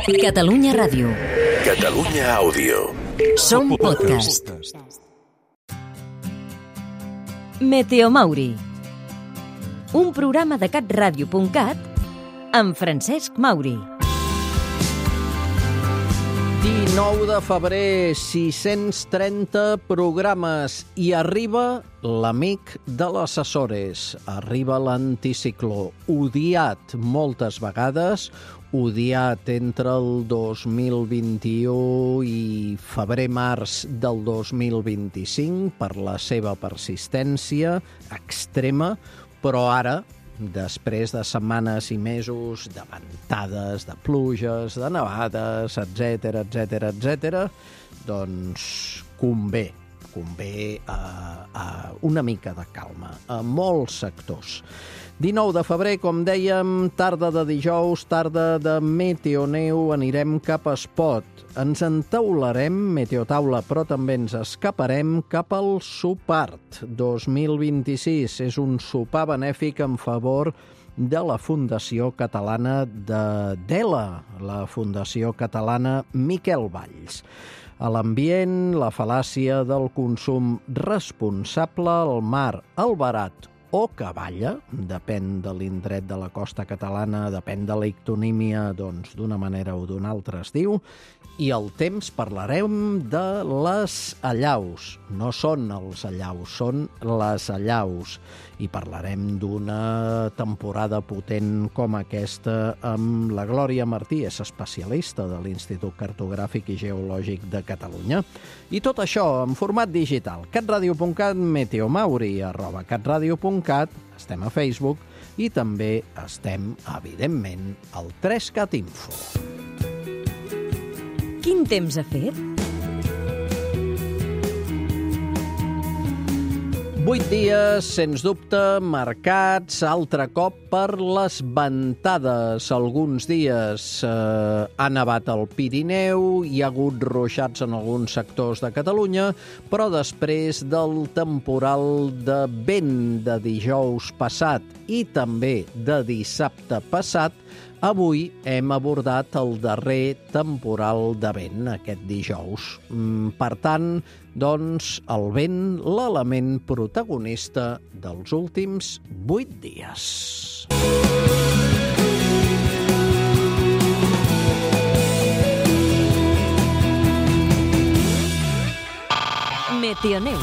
Catalunya Ràdio. Catalunya Àudio. Som podcast. Meteomauri. Un programa de catradio.cat amb Francesc Mauri. 19 de febrer, 630 programes i arriba l'amic de les Açores. Arriba l'anticicló, odiat moltes vegades, odiat entre el 2021 i febrer-març del 2025 per la seva persistència extrema, però ara, després de setmanes i mesos de ventades, de pluges, de nevades, etc., doncs convé una mica de calma a molts sectors. 19 de febrer, com dèiem, tarda de dijous, tarda de meteoneu, anirem cap a Espot. Ens entaularem, meteotaula, però també ens escaparem cap al Supart 2026. És un sopar benèfic en favor de la Fundació Catalana d'ELA, la Fundació Catalana Miquel Valls. A l'ambient, la fal·làcia del consum responsable, el mar, el barat o cavalla, depèn de l'indret de la costa catalana, depèn de l'ictonímia, doncs d'una manera o d'una altra es diu, i el temps parlarem de les allaus. No són els allaus, són les allaus. I parlarem d'una temporada potent com aquesta amb la Glòria Martí, és especialista de l'Institut Cartogràfic i Geològic de Catalunya. I tot això en format digital. catradio.cat, Meteomauri, @catradio.cat, estem a Facebook i també estem, evidentment, al 3CAT Info. Quin temps ha fet? 8 dies, sens dubte, marcats altre cop per les ventades. Alguns dies ha nevat al Pirineu, hi ha hagut ruixats en alguns sectors de Catalunya, però després del temporal de vent de dijous passat i també de dissabte passat, avui hem abordat el darrer temporal de vent, aquest dijous. Per tant, doncs, el vent, l'element protagonista dels últims 8 dies. Meteoneu.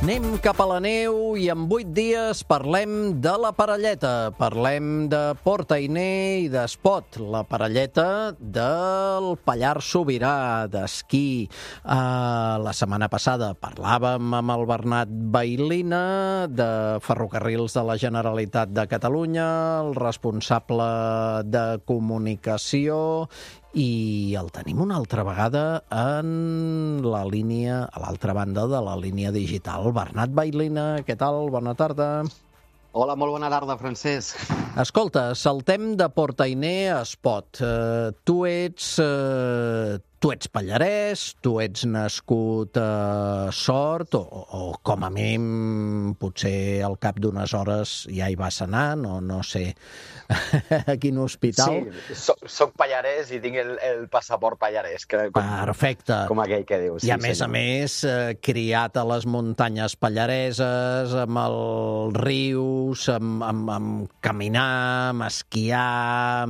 Anem cap a la neu i en 8 dies parlem de la Parelleta. Parlem de Port Ainé i d'Espot, la Parelleta del Pallars Sobirà, d'esquí. La setmana passada parlàvem amb el Bernat Bailina de Ferrocarrils de la Generalitat de Catalunya, el responsable de comunicació, i el tenim una altra vegada en la línia, a l'altra banda de la línia digital. Bernat Bailina, què tal? Bona tarda. Hola, molt bona tarda, Francesc. Escolta, saltem de Port Ainé a Espot. Tu ets pallarès, tu ets nascut a Sort, o com a mínim potser al cap d'unes hores ja hi vas anar, no sé a quin hospital. Sí, soc pallarès i tinc el passaport pallarès. Perfecte. Com aquell que dius. I a més, criat a les muntanyes pallareses, amb els rius, amb caminar, amb esquiar,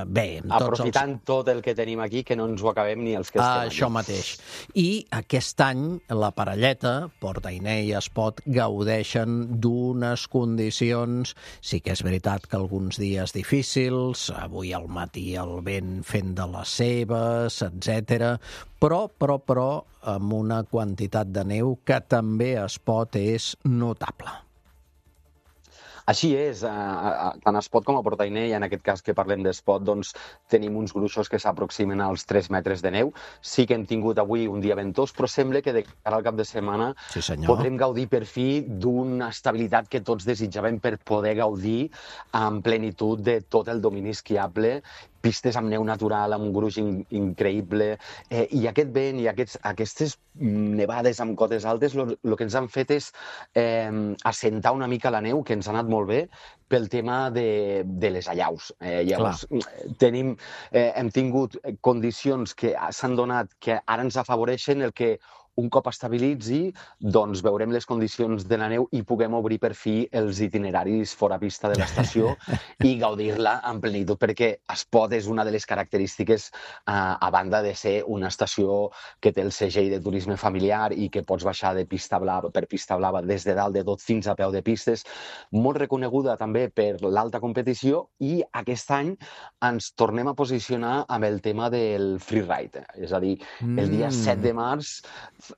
bé... Aprofitant tot el que tenim aquí, que no ens ho acabem ni els que estem aquí. Això mateix. I aquest any la Parelleta, Port Ainé i Espot, gaudeixen d'unes condicions, sí que és veritat que alguns dies difícils, avui al matí el vent fent de les seves, etc. Però, amb una quantitat de neu que també a Espot és notable. Així és, tant a Espot com a Port Ainé, i en aquest cas que parlem d'Espot, doncs tenim uns gruixos que s'aproximen als 3 metres de neu. Sí que hem tingut avui un dia ventós, però sembla que de cara al cap de setmana podrem gaudir per fi d'una estabilitat que tots desitjàvem per poder gaudir en plenitud de tot el domini esquiable pistes amb neu natural, amb un gruix increïble, i aquest vent i aquestes nevades amb cotes altes el que ens han fet és assentar una mica la neu, que ens ha anat molt bé, pel tema de les allaus. Llavors, hem tingut condicions que s'han donat que ara ens afavoreixen el que un cop estabilitzi, doncs veurem les condicions de la neu i puguem obrir per fi els itineraris fora pista de l'estació i gaudir-la en plenitud, perquè Espot és una de les característiques, a banda de ser una estació que té el segell de turisme familiar i que pots baixar per pista blava des de dalt de tot fins a peu de pistes, molt reconeguda també per l'alta competició, i aquest any ens tornem a posicionar amb el tema del freeride. És a dir, el dia 7 de març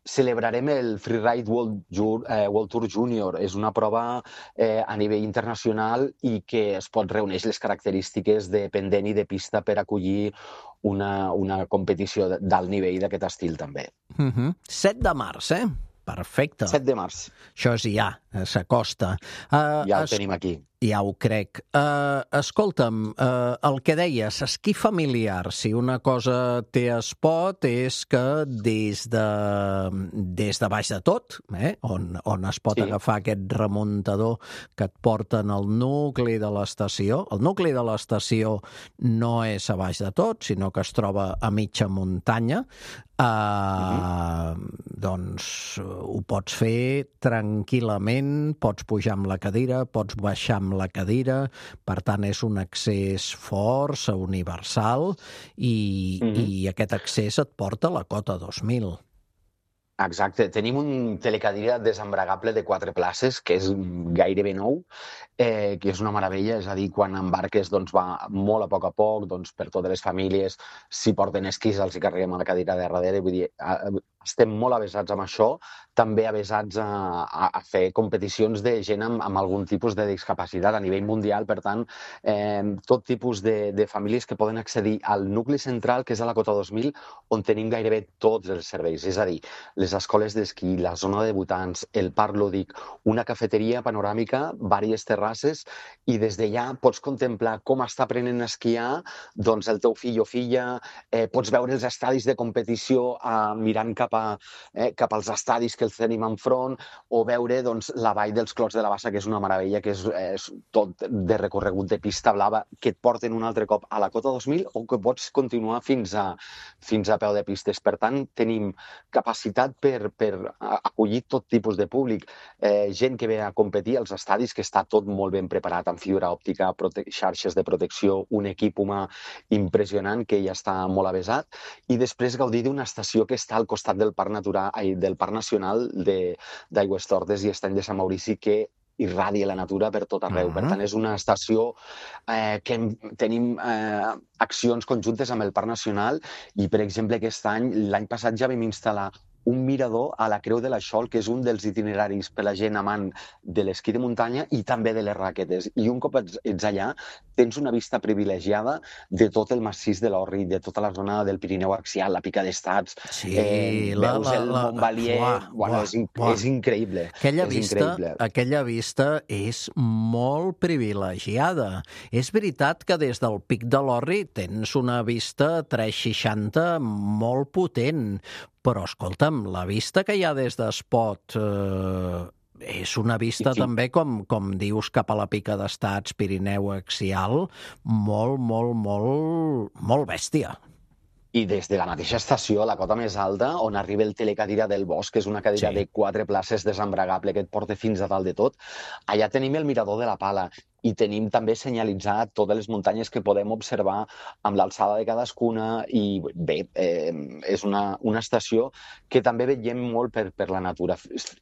celebrarem el Freeride World Tour Junior. És una prova a nivell internacional i que es pot reunir les característiques de pendent i de pista per acollir una competició d'alt nivell d'aquest estil també. 7 de març, Perfecte. 7 de març. Això és ja, s'acosta. Ja ho tenim aquí. Ja ho crec. Escolta'm, el que deies, esquí familiar, si una cosa té Espot és que des de baix de tot, on es pot agafar aquest remuntador que et porten al nucli de l'estació. El nucli de l'estació no és a baix de tot, sinó que es troba a mitja muntanya. Doncs ho pots fer tranquil·lament, pots pujar amb la cadira, pots baixar amb la cadira, per tant és un accés força universal i aquest accés et porta a la Cota 2000. Exacte. Tenim un telecadira desembregable de 4 places, que és gairebé nou, que és una meravella. És a dir, quan embarques va molt a poc, per totes les famílies. Si porten esquís els hi carreguem a la cadira de darrere. Vull dir, estem molt avesats amb això, també avesats a fer competicions de gent amb algun tipus de discapacitat a nivell mundial. Per tant, tot tipus de famílies que poden accedir al nucli central, que és a la Cota 2000, on tenim gairebé tots els serveis. És a dir, les escoles d'esquí, la zona de debutants, el parc lúdic, una cafeteria panoràmica, diverses terrasses, i des d'allà pots contemplar com està aprenent a esquiar el teu fill o filla, pots veure els estadis de competició mirant cap als estadis que els tenim enfront, o veure la vall dels Clots de la Bassa, que és una meravella, que és tot de recorregut de pista blava, que et porten un altre cop a la Cota 2000 o que pots continuar fins a peu de pistes. Per tant, tenim capacitat per acollir tot tipus de públic. Gent que ve a competir als estadis, que està tot molt ben preparat amb fibra òptica, xarxes de protecció, un equip humà impressionant que ja està molt avesat, i després gaudir d'una estació que està al costat del Parc Nacional d'Aigüestortes i Estany de Sant Maurici, que irradia la natura per tot arreu. Per tant, és una estació que tenim accions conjuntes amb el Parc Nacional i, per exemple, aquest any, l'any passat ja vam instal·lar un mirador a la Creu de la Xol, que és un dels itineraris per la gent amant de l'esquí de muntanya i també de les raquetes. I un cop ets allà, tens una vista privilegiada de tot el massís de l'Orri, de tota la zona del Pirineu Axial, la Pica d'Estats, veus el Montbalier. És increïble. Aquella vista és molt privilegiada. És veritat que des del Pic de l'Orri tens una vista 360 molt potent, però, escolta'm, la vista que hi ha des d'Espot és una vista també, com dius, cap a la Pica d'Estats, Pirineu Axial, molt bèstia. I des de la mateixa estació, a la cota més alta, on arriba el telecadira del Bosc, que és una cadira de 4 places desembregable que et porta fins a dalt de tot, allà tenim el mirador de la Pala. I tenim també senyalitzat totes les muntanyes que podem observar amb l'alçada de cadascuna i bé, és una estació que també veiem molt per la natura.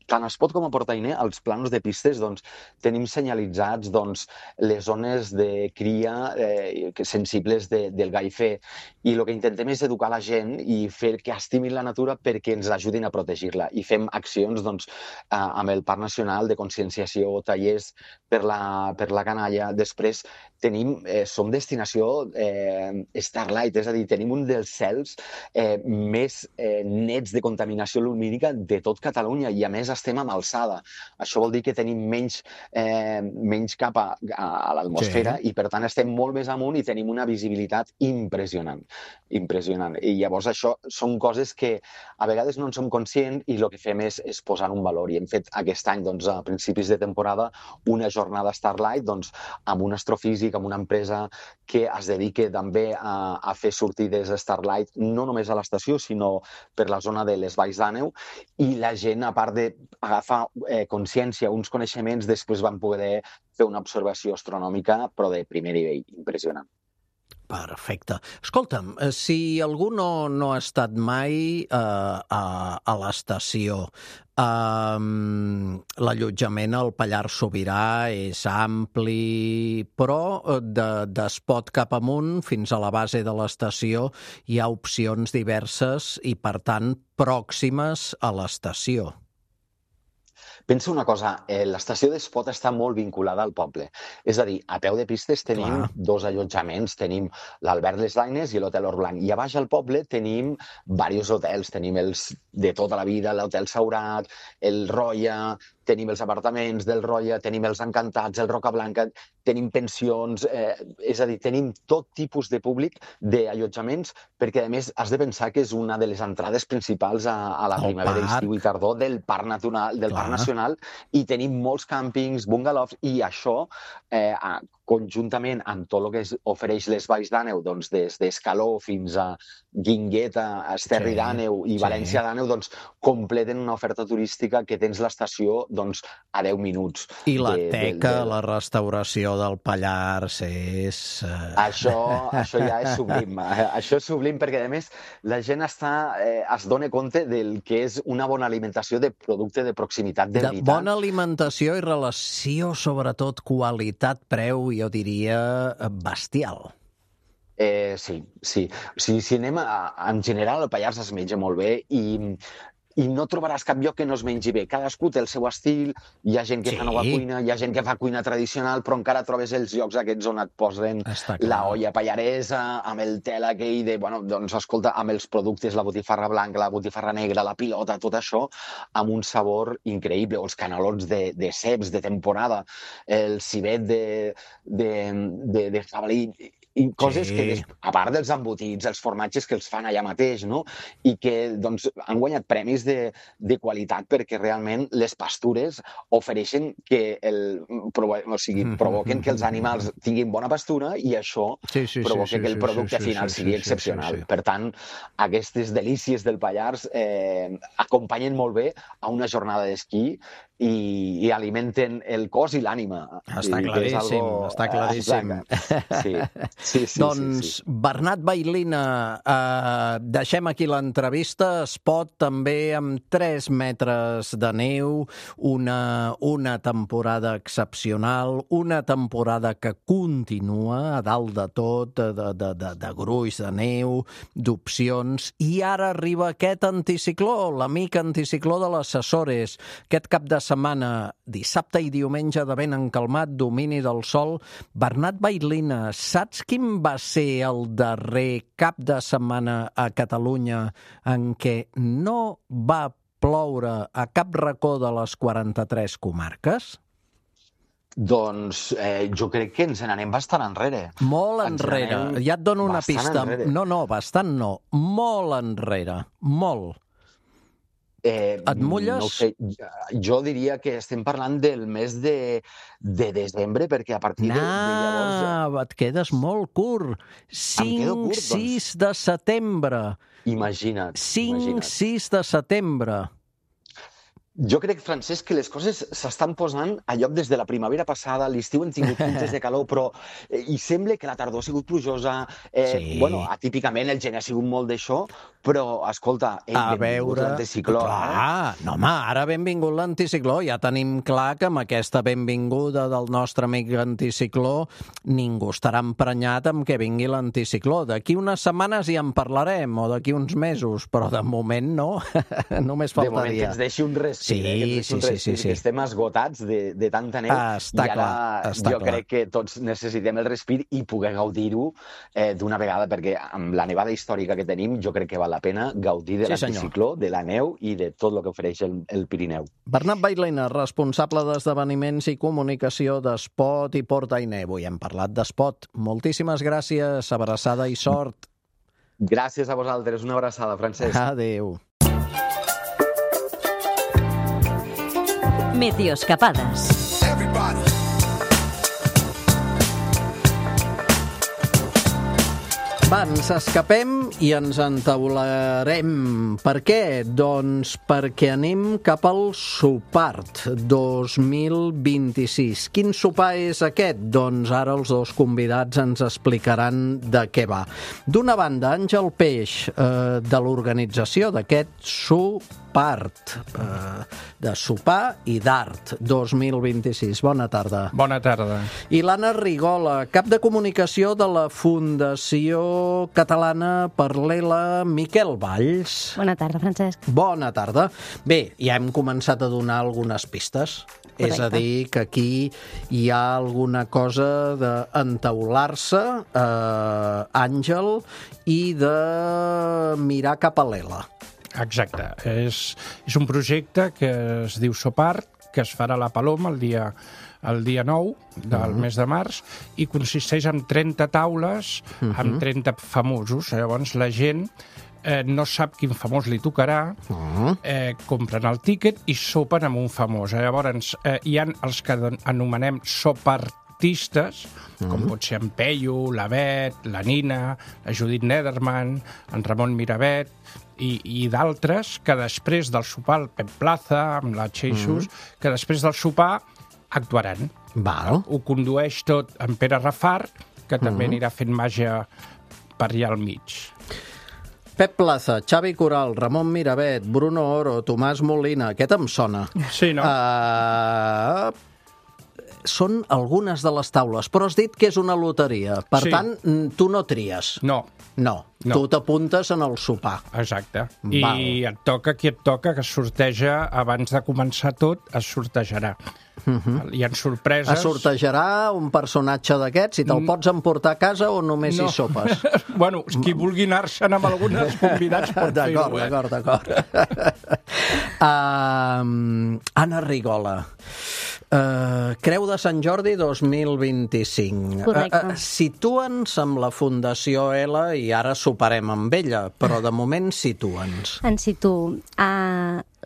Tant a Espot com a Portainer, als plans de pistes, tenim senyalitzats les zones de cria sensibles del gaifer, i el que intentem és educar la gent i fer que estimin la natura perquè ens ajudin a protegir-la, i fem accions amb el Parc Nacional de conscienciació, tallers per la canalla. Després som destinació Starlight, és a dir, tenim un dels cels més nets de contaminació lumínica de tot Catalunya i a més estem amb alçada. Això vol dir que tenim menys capa a l'atmosfera i per tant estem molt més amunt i tenim una visibilitat impressionant. I llavors això són coses que a vegades no en som conscients i el que fem és posar un valor. I hem fet aquest any, doncs, a principis de temporada, una jornada Starlight amb un astrofísic, amb una empresa que es dedica també a fer sortides Starlight, no només a l'estació, sinó per la zona de les Valls d'Àneu, i la gent, a part d'agafar consciència, uns coneixements, després van poder fer una observació astronòmica, però de primer nivell, impressionant. Perfecte. Escolta'm, si algú no ha estat mai a l'estació, l'allotjament al Pallars Sobirà és ampli, però d'Espot cap amunt fins a la base de l'estació hi ha opcions diverses i, per tant, pròximes a l'estació. Pensa una cosa, l'estació d'Espot està molt vinculada al poble. És a dir, a peu de pistes tenim dos allotjaments, tenim l'Albert Les Daines i l'Hotel Orblanc. I a baix al poble tenim diversos hotels, tenim els de tota la vida, l'Hotel Saurat, el Roya, tenim els apartaments del Roya, tenim els Encantats, el Rocablanca, tenim pensions, és a dir, tenim tot tipus de públic d'allotjaments, perquè a més has de pensar que és una de les entrades principals a la primavera, estiu i tardor del Parc Nacional, i tenim molts càmpings, bungalows, i això conjuntament amb tot el que ofereix les Valls d'Àneu, doncs des d'Escaló fins a Guingueta, Esterri d'Àneu i València d'Àneu, doncs completen una oferta turística que tens l'estació doncs a 10 minuts. I la teca, la restauració del Pallars és... Això ja és sublim. Això és sublim perquè, a més, la gent es dona compte del que és una bona alimentació de producte de proximitat de veritat. Bona alimentació i relació, sobretot qualitat-preu, jo diria bestial. Sí. Si anem en general, el Pallars es menja molt bé i no trobaràs cap lloc que no es mengi bé. Cadascú té el seu estil, hi ha gent que fa nova cuina, hi ha gent que fa cuina tradicional, però encara trobes els llocs aquests on et posen la olla pallaresa, amb el tel aquell de, doncs escolta, amb els productes, la botifarra blanca, la botifarra negra, la pilota, tot això, amb un sabor increïble, o els canelons de ceps de temporada, el civet de jabalí, i coses que, a part dels embotits, els formatges que els fan allà mateix, no? I que doncs, han guanyat premis de qualitat perquè realment les pastures ofereixen que provoquen que els animals tinguin bona pastura i això provoca que el producte final sigui excepcional. Per tant, aquestes delícies del Pallars acompanyen molt bé a una jornada d'esquí i alimenten el cos i l'ànima. Està claríssim, està claríssim. Sí. Doncs, Bernat Bailina, deixem aquí l'entrevista. Espot també amb 3 metres de neu, una temporada excepcional, una temporada que continua a dalt de tot, de gruix, de neu, d'opcions, i ara arriba aquest anticicló, l'amic anticicló de les Açores, aquest cap de setmana, dissabte i diumenge de vent encalmat, domini del sol. Bernat Bailina, saps quin va ser el darrer cap de setmana a Catalunya en què no va ploure a cap racó de les 43 comarques? Doncs jo crec que ens n'anem bastant enrere. Molt enrere. Ja et dono una pista. No, bastant no. Molt enrere. Molt. Et mulles? No sé, jo diria que estem parlant del mes de desembre, perquè a partir de llavors... Et quedes molt curt. 5-6 de setembre. Imagina't. 5-6 de setembre. Jo crec, Francesc, que les coses s'estan posant a lloc des de la primavera passada, l'estiu hem tingut puntes de calor, però i sembla que la tardor ha sigut plujosa. Atípicament el gener ha sigut molt d'això, però, escolta, benvingut l'anticicló. Ara benvingut l'anticicló. Ja tenim clar que amb aquesta benvinguda del nostre amic anticicló ningú estarà emprenyat amb que vingui l'anticicló. D'aquí unes setmanes ja en parlarem, o d'aquí uns mesos, però de moment no. Només faltaria. De moment que ens deixi un respir Sí. Que estem esgotats de tanta neu Està i ara clar. Crec que tots necessitem el respir i poder gaudir-ho d'una vegada, perquè amb la nevada històrica que tenim jo crec que val la pena gaudir de l'anticicló, de la neu i de tot el que ofereix el Pirineu. Bernat Bailena, responsable d'esdeveniments i comunicació d'Espot i Portainer. Avui hem parlat d'Espot. Moltíssimes gràcies, abraçada i sort. Gràcies a vosaltres, una abraçada, Francesc. Adéu. Meteoscapades. Va, ens escapem i ens entaularem. Per què? Doncs perquè anem cap al Sopart 2026. Quin sopar és aquest? Doncs ara els dos convidats ens explicaran de què va. D'una banda, Àngel Peix, de l'organització d'aquest Sopart, de sopar i d'art 2026. Bona tarda. Bona tarda. I l'Anna Rigola, cap de comunicació de la Fundació Catalana per l'ELA Miquel Valls. Bona tarda, Francesc. Bona tarda. Bé, ja hem començat a donar algunes pistes. Correcte. És a dir, que aquí hi ha alguna cosa d'entaular-se, Àngel, i de mirar cap a l'ELA. Exacte. És un projecte que es diu Sopart, que es farà a la Paloma el dia 9 del mes de març, i consisteix en 30 taules amb 30 famosos. Llavors la gent no sap quin famós li tocarà, compren el tíquet i sopen amb un famós. Llavors hi ha els que anomenem sopartistes, com pot ser en Peyu, la Bet, la Nina, la Judit Nederman, en Ramon Miravet, i d'altres que després del sopar, el Pep Plaza, amb la Xeixos, que després del sopar actuaran. Val. Ho condueix tot en Pere Rafart, que també anirà fent màgia per allà al mig. Pep Plaza, Xavi Coral, Ramon Miravet, Bruno Oro, Tomàs Molina, aquest em sona. Sí, no? Són algunes de les taules, però has dit que és una loteria. Per tant, tu no tries. No. Tu t'apuntes en el sopar. Exacte. Val. I et toca qui et toca, que es sorteja abans de començar tot, es sortejarà. Hi ha sorpreses. Es sortejarà un personatge d'aquests i te'l pots emportar a casa o només hi sopes? Bueno, qui vulgui anar-se'n amb algunes convidats pot fer-ho. D'acord. Anna Rigola. Creu de Sant Jordi 2025. Correcte. Situa'ns amb la Fundació ELA i ara soparem amb ella, però de moment situa'ns. En situo.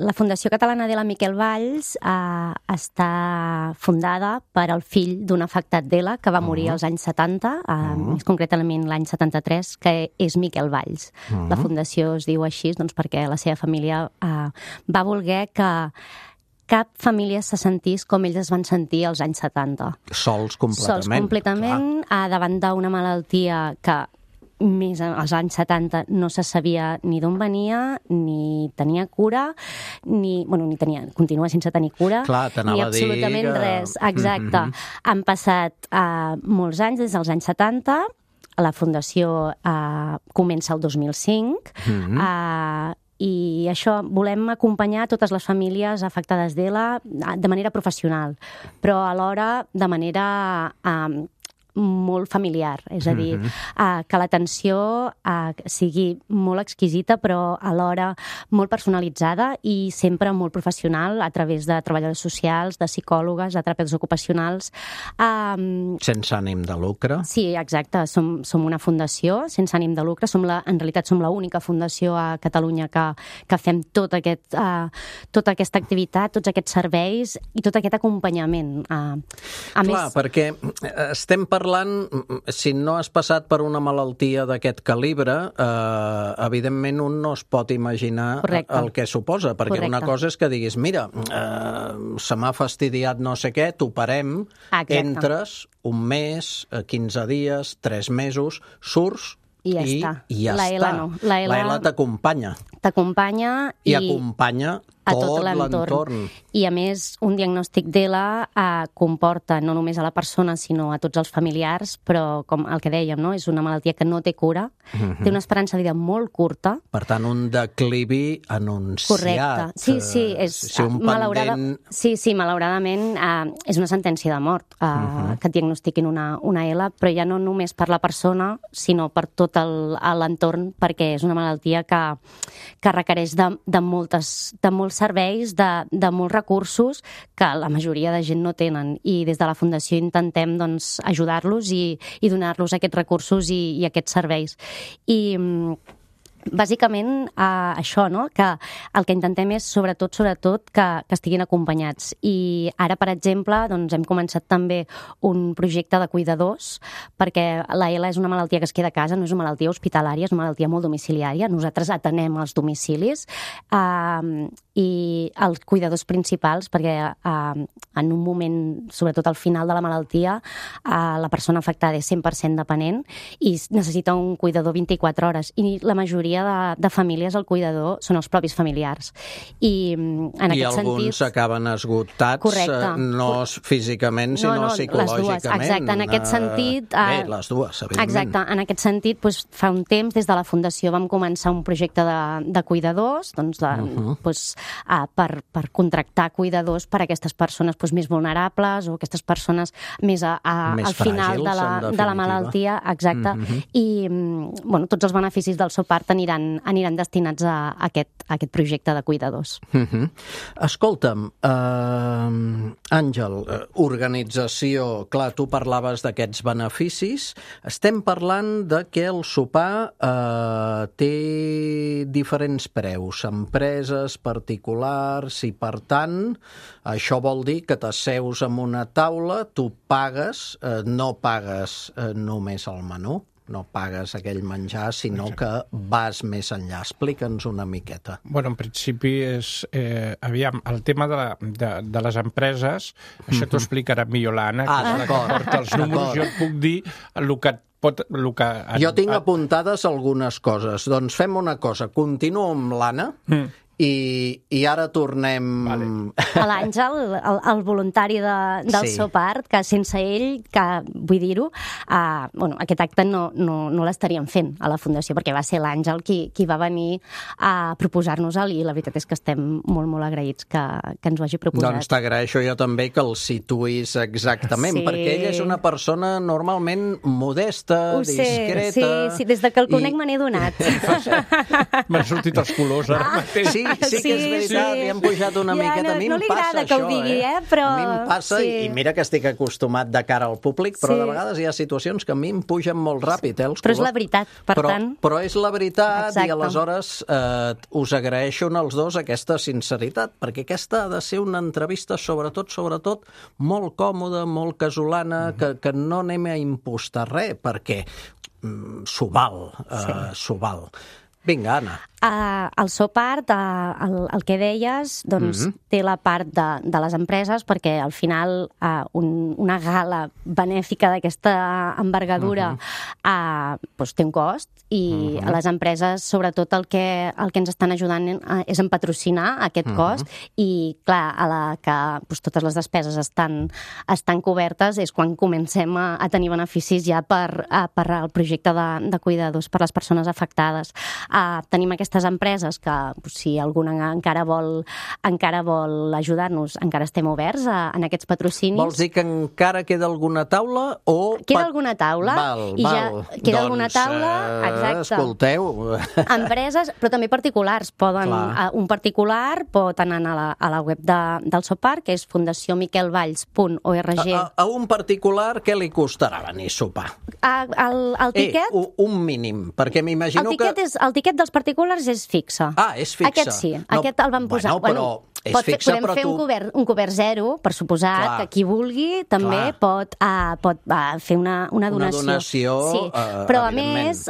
La Fundació Catalana de la Miquel Valls està fundada per al fill d'un afectat d'ELA que va morir als anys 70, més concretament l'any 73, que és Miquel Valls. La fundació es diu així doncs, perquè la seva família va voler que cap família se sentís com ells es van sentir als anys 70. Sols completament. Sols completament, davant d'una malaltia que més als anys 70 no se sabia ni d'on venia, ni tenia cura, continua sense tenir cura, ni absolutament res. Exacte. Han passat molts anys, des dels anys 70, la Fundació comença el 2005, i això, volem acompanyar totes les famílies afectades d'ELA de manera professional, però alhora de manera molt familiar, és a dir, que l'atenció sigui molt exquisita però alhora molt personalitzada i sempre molt professional a través de treballadors socials, de psicòlogues, de terapeutes ocupacionals. Sense ànim de lucre? Sí, exacte. Som una fundació sense ànim de lucre. En realitat som l'única fundació a Catalunya que fem tota aquesta activitat, tots aquests serveis i tot aquest acompanyament. Clar, perquè estem parlant, si no has passat per una malaltia d'aquest calibre, evidentment un no es pot imaginar el que suposa, perquè una cosa és que diguis, mira, se m'ha fastidiat no sé què, t'operem, entres un mes, 15 dies, 3 mesos, surts i ja està. La ELA no. La ELA t'acompanya. t'acompanya I acompanya a tot l'entorn. l'entorn. I, a més, un diagnòstic d'ELA comporta no només a la persona, sinó a tots els familiars, però, com el que dèiem, no? És una malaltia que no té cura, té una esperança de vida molt curta. Per tant, un declivi anunciat. Correcte. Sí, és malauradament és una sentència de mort que et diagnostiquin una ELA, però ja no només per la persona, sinó per tot l'entorn, perquè és una malaltia que requereix de molts serveis, de molts recursos que la majoria de gent no tenen, i des de la Fundació intentem ajudar-los i donar-los aquests recursos i aquests serveis. I bàsicament això, no? Que el que intentem és sobretot que estiguin acompanyats. I ara, per exemple, hem començat també un projecte de cuidadors, perquè la ELA és una malaltia que es queda a casa, no és una malaltia hospitalària, és una malaltia molt domiciliària. Nosaltres atenem els domicilis i els cuidadors principals, perquè en un moment, sobretot al final de la malaltia, la persona afectada és 100% dependent i necessita un cuidador 24 hores. I la majoria de famílies, el cuidador són els propis familiars. I en aquest sentit... alguns acaben esgotats, correcte, no físicament, sinó psicològicament. Exacte, en aquest sentit... Bé, les dues, evidentment. Exacte, en aquest sentit, fa un temps, des de la Fundació, vam començar un projecte de cuidadors, per contractar cuidadors per a aquestes persones més vulnerables o aquestes persones més al final de la malaltia. Exacte. I tots els beneficis del Sopart aniran destinats a aquest projecte de cuidadors. Escolta'm, Àngel, organització, clar, tu parlaves d'aquests beneficis. Estem parlant de que el sopar té diferents preus, empreses, particulars, i per tant, això vol dir que t'asseus en una taula, tu pagues, no pagues només el menú, no pagues aquell menjar, sinó que vas més enllà. Explica'ns una miqueta. En principi és... aviam, el tema de les empreses, això t'ho explicarà millor l'Anna, que és la que porta els números. Jo et puc dir el que... Jo tinc apuntades algunes coses. Doncs fem una cosa, continuo amb l'Anna, i ara tornem... A l'Àngel, el voluntari del Sopart, que sense ell, vull dir-ho, aquest acte no l'estaríem fent a la Fundació, perquè va ser l'Àngel qui va venir a proposar-nos-el, i la veritat és que estem molt, molt agraïts que ens ho hagi proposat. Doncs t'agraeixo jo també que el situïs exactament, perquè ella és una persona normalment modesta, discreta... Sí, des que el conec me n'he donat. M'han sortit els colors ara mateix. Sí que és veritat, li han pujat una miqueta. A mi em passa això, no li agrada que ho digui, però... A mi em passa, i mira que estic acostumat de cara al públic, però de vegades hi ha situacions que a mi em pugen molt ràpid, els colors. Però és la veritat, per tant... Però és la veritat, i aleshores us agraeixo els dos aquesta sinceritat, perquè aquesta ha de ser una entrevista sobretot, molt còmoda, molt casolana, que no anem a impostar res, perquè s'ho val. Vinga, Anna. El Sopart, el que deies, té la part de les empreses, perquè al final una gala benèfica d'aquesta envergadura té un cost, i les empreses, sobretot, el que ens estan ajudant és en patrocinar aquest cost, i clar, a la que totes les despeses estan cobertes és quan comencem a tenir beneficis ja per al projecte de cuidadors per les persones afectades. Tenim aquestes empreses que, si alguna encara vol ajudar-nos, encara estem oberts en aquests patrocinis. Vols dir que encara queda alguna taula? Queda alguna taula. Queda alguna taula, exacte. Escolteu. Empreses, però també particulars. Un particular pot anar a la web del Sopart, que és fundacionmiquelvalls.org. A un particular què li costarà venir a sopar? El tiquet? Un mínim, perquè m'imagino que... El tiquet dels particulars és fixe. És fixe. Aquest sí, aquest el vam posar. Però És fixa, podem però fer tu... un cobert zero, per suposat, Clar. que qui vulgui també pot fer una donació. Una donació, sí. Però a evidentment. més,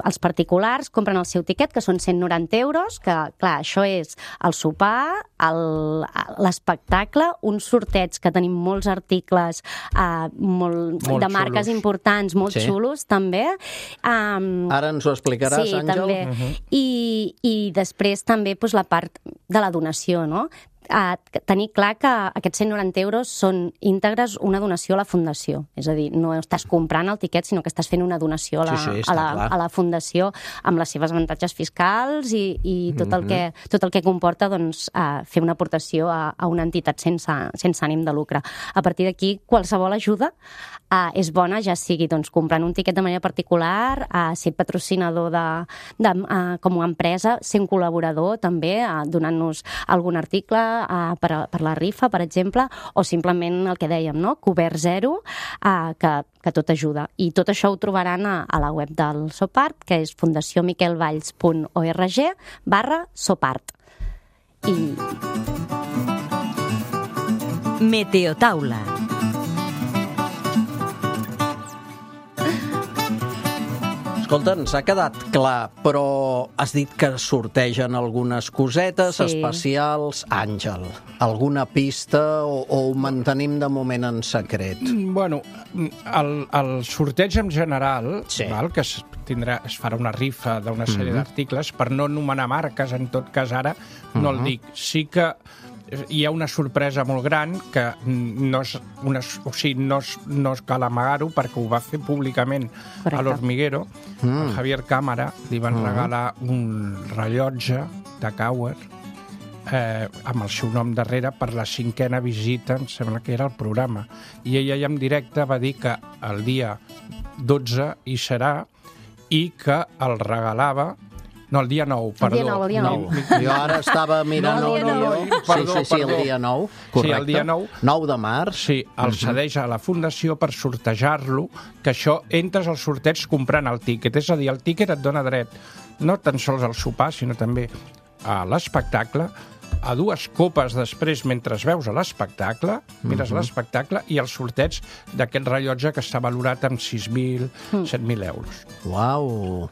els particulars compren el seu tiquet, que són 190 euros, que clar, això és el sopar, l'espectacle, uns sorteig que tenim molts articles molt de marques xulos. importants, molt xulos també. Ara ens ho explicaràs, sí, Àngel? també. I després també doncs, la part de la donació, no? Tenir clar que aquests 190 euros són íntegres una donació a la Fundació. És a dir, no estàs comprant el tiquet, sinó que estàs fent una donació a la Fundació amb les seves avantatges fiscals i tot el que comporta doncs, fer una aportació a una entitat sense ànim de lucre. A partir d'aquí, qualsevol ajuda és bona, ja sigui doncs, comprant un tiquet de manera particular, ser patrocinador com a empresa, ser un col·laborador també, donant-nos algun article per la rifa, per exemple, o simplement el que dèiem, no? Cobert zero, que tot ajuda. I tot això ho trobaran a la web del Sopart, que és fundaciomiquelvalls.org/Sopart. Meteotaula. Escolta, ens ha quedat clar, però has dit que sortegen algunes cosetes especials. Àngel, alguna pista o ho mantenim de moment en secret? Bueno, el sorteig en general, val, que es farà una rifa d'una sèrie d'articles, per no anomenar marques, en tot cas ara no el dic. Sí que hi ha una sorpresa molt gran que no cal amagar-ho perquè ho va fer públicament a l'Hormiguero. El Javier Cámara li van regalar un rellotge de Cauer amb el seu nom darrere per la 5a visita, em sembla que era el programa. I ella ja en directe va dir que el dia 12 hi serà i que el regalava. No, el dia 9, perdó. El dia 9. Jo ara estava mirant el guió. Perdó. El dia 9, correcte. Sí, el dia 9. 9 de març. Sí, el cedeix a la Fundació per sortejar-lo, que això entres al sorteig comprant el tíquet. És a dir, el tíquet et dona dret no tan sols al sopar, sinó també a l'espectacle, a 2 copes després mentre veus a l'espectacle, mires l'espectacle, i el sorteig d'aquest rellotge que està valorat amb 6.000, 7.000 euros. Uau!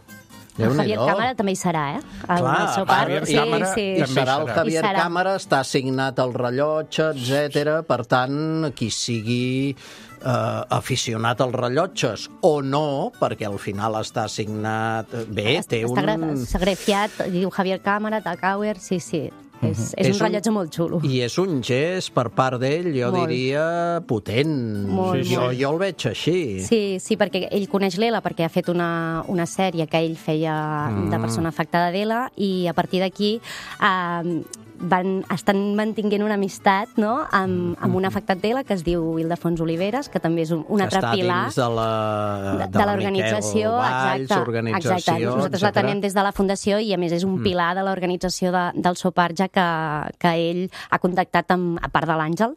El Javier Cámara també hi serà, Clar, el Sopart. Cámara I serà el Javier Cámara, està assignat el rellotge, etc. Per tant, qui sigui aficionat als rellotges o no, perquè al final està assignat... Bé, té un... Està grafiat, diu Javier Cámara, Takauer, sí. És un rellotge molt xulo. I és un gest per part d'ell, jo diria, potent. Jo el veig així. Sí, perquè ell coneix l'Ela, perquè ha fet una sèrie que ell feia de persona afectada d'Ela, i a partir d'aquí estan mantinguent una amistat, no?, amb un afectat d'Ela que es diu Ildefons Oliveres, que també és un altre pilar de l'organització. Exacte. Nosaltres la tenim des de la Fundació i, a més, és un pilar de l'organització del Sopart, ja que ell ha contactat a part de l'Àngel.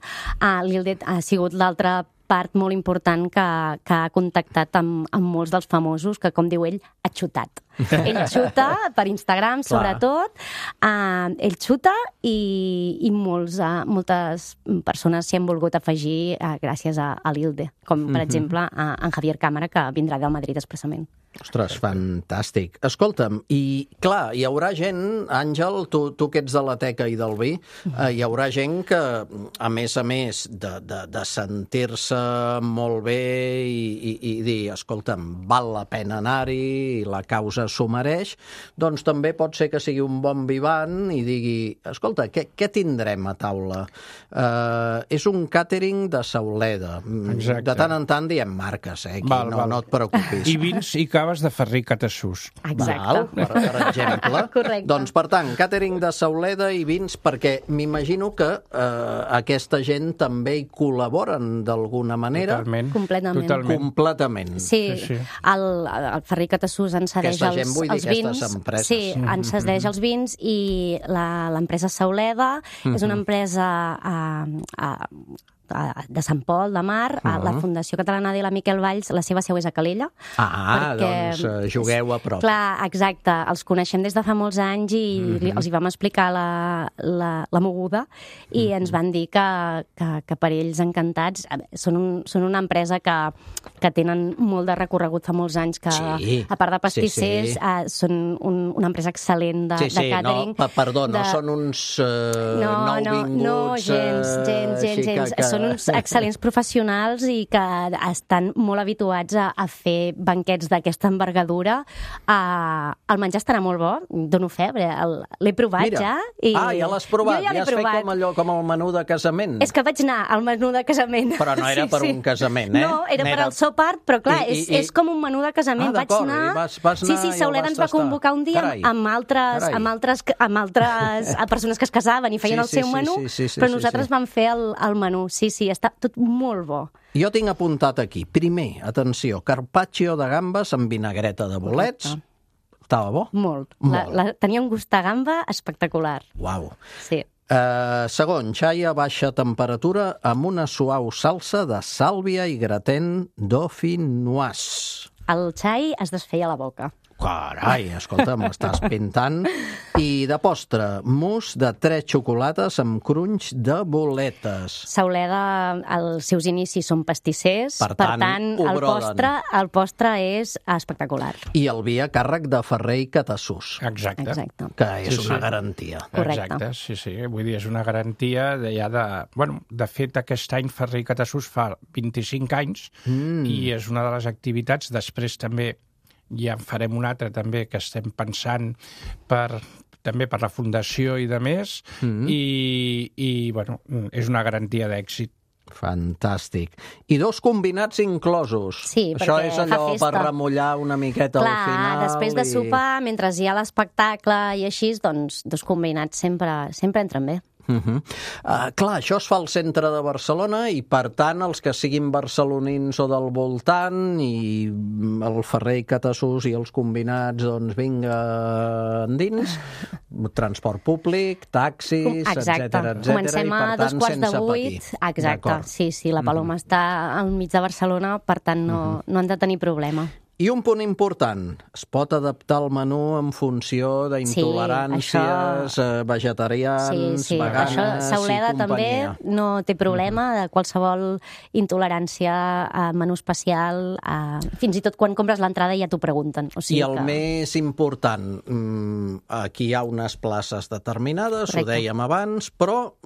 L'Ilde ha sigut l'altra part molt important que ha contactat amb molts dels famosos, que, com diu ell, ha xutat. Ell xuta per Instagram, sobretot. Ell xuta i moltes persones s'hi han volgut afegir gràcies a l'Ilde, com, per exemple, en Javier Cámara, que vindrà del Madrid expressament. Ostres, fantàstic. Escolta'm, i clar, hi haurà gent, Àngel, tu que ets de la teca i del vi, hi haurà gent que, a més de sentir-se molt bé i dir, escolta'm, val la pena anar-hi, i la causa s'ho mereix, doncs també pot ser que sigui un bon vivant i digui, escolta, què tindrem a taula? És un càtering de Sauleda. Exacte. De tant en tant diem marques, no et preocupis. I vins i caves de Ferrer Catassús. Exacte. Per exemple. Correcte. Doncs, per tant, càtering de Sauleda i vins, perquè m'imagino que aquesta gent també hi col·laboren d'alguna manera. Completament. Sí. El Ferrer Catassús ens cedeix els vins. Sí, ens cedeix els vins, i l'empresa Sauleda és una empresa de Sant Pol, de Mar, la Fundació Catalana de la Miquel Valls, la seva seu és a Calella. Doncs jugueu a prop. Clar, exacte, els coneixem des de fa molts anys i els hi vam explicar la moguda i ens van dir que per ells encantats. Són una empresa que tenen molt de recorregut fa molts anys, que a part de pastissers són una empresa excel·lent de catering. No són uns nouvinguts... No, gens. Són uns excel·lents professionals i que estan molt habituats a fer banquets d'aquesta envergadura. El menjar estarà molt bo, dono fe, l'he provat ja. Ja l'has provat, ja has fet com el menú de casament. És que vaig anar al menú de casament. Però no era per un casament, eh? No, era per al sopart, però clar, és com un menú de casament. Vaig anar... Sí, Sauleda ens va convocar un dia amb altres persones que es casaven i feien el seu menú, però nosaltres vam fer el menú. Sí, està tot molt bo. Jo tinc apuntat aquí. Primer, atenció, carpaccio de gambes amb vinagreta de bolets. Estava bo? Molt. Tenia un gust de gamba espectacular. Uau. Sí. Segon, xai a baixa temperatura amb una suau salsa de sàlvia i gratin dauphinoise. El xai es desfeia a la boca. Carai, escolta, m'estàs pintant. I de postre, mousse de 3 xocolates amb crunch de boletes. Sauleda, els seus inicis són pastissers, per tant el postre és espectacular. I el vi a càrrec de Ferrer i Catassús. Exacte. Que és una garantia. Correcte. Exacte, sí. Vull dir, és una garantia de fet, aquest any Ferrer i Catassús fa 25 anys i és una de les activitats. Després també ja en farem una altra també que estem pensant també per la Fundació i de més, i és una garantia d'èxit. Fantàstic. I 2 combinats inclosos. Sí, això és allò per remullar una miqueta al final. Clar, després de sopar, mentre hi ha l'espectacle i així, doncs 2 combinats sempre entren bé. Clar, això es fa al centre de Barcelona i, per tant, els que siguin barcelonins o del voltant i el Ferrer i Catassús i els combinats, doncs vinga endins, transport públic, taxis, etcètera. Comencem a 7:15. Exacte, sí, la Paloma està al mig de Barcelona, per tant no han de tenir problema. I un punt important, es pot adaptar el menú en funció d'intoleràncies, vegetarians, veganes això, Sauleda i companyia. També no té problema de qualsevol intolerància a menú especial, fins i tot quan compres l'entrada ja t'ho pregunten. I el més important, aquí hi ha unes places determinades, ho dèiem abans, però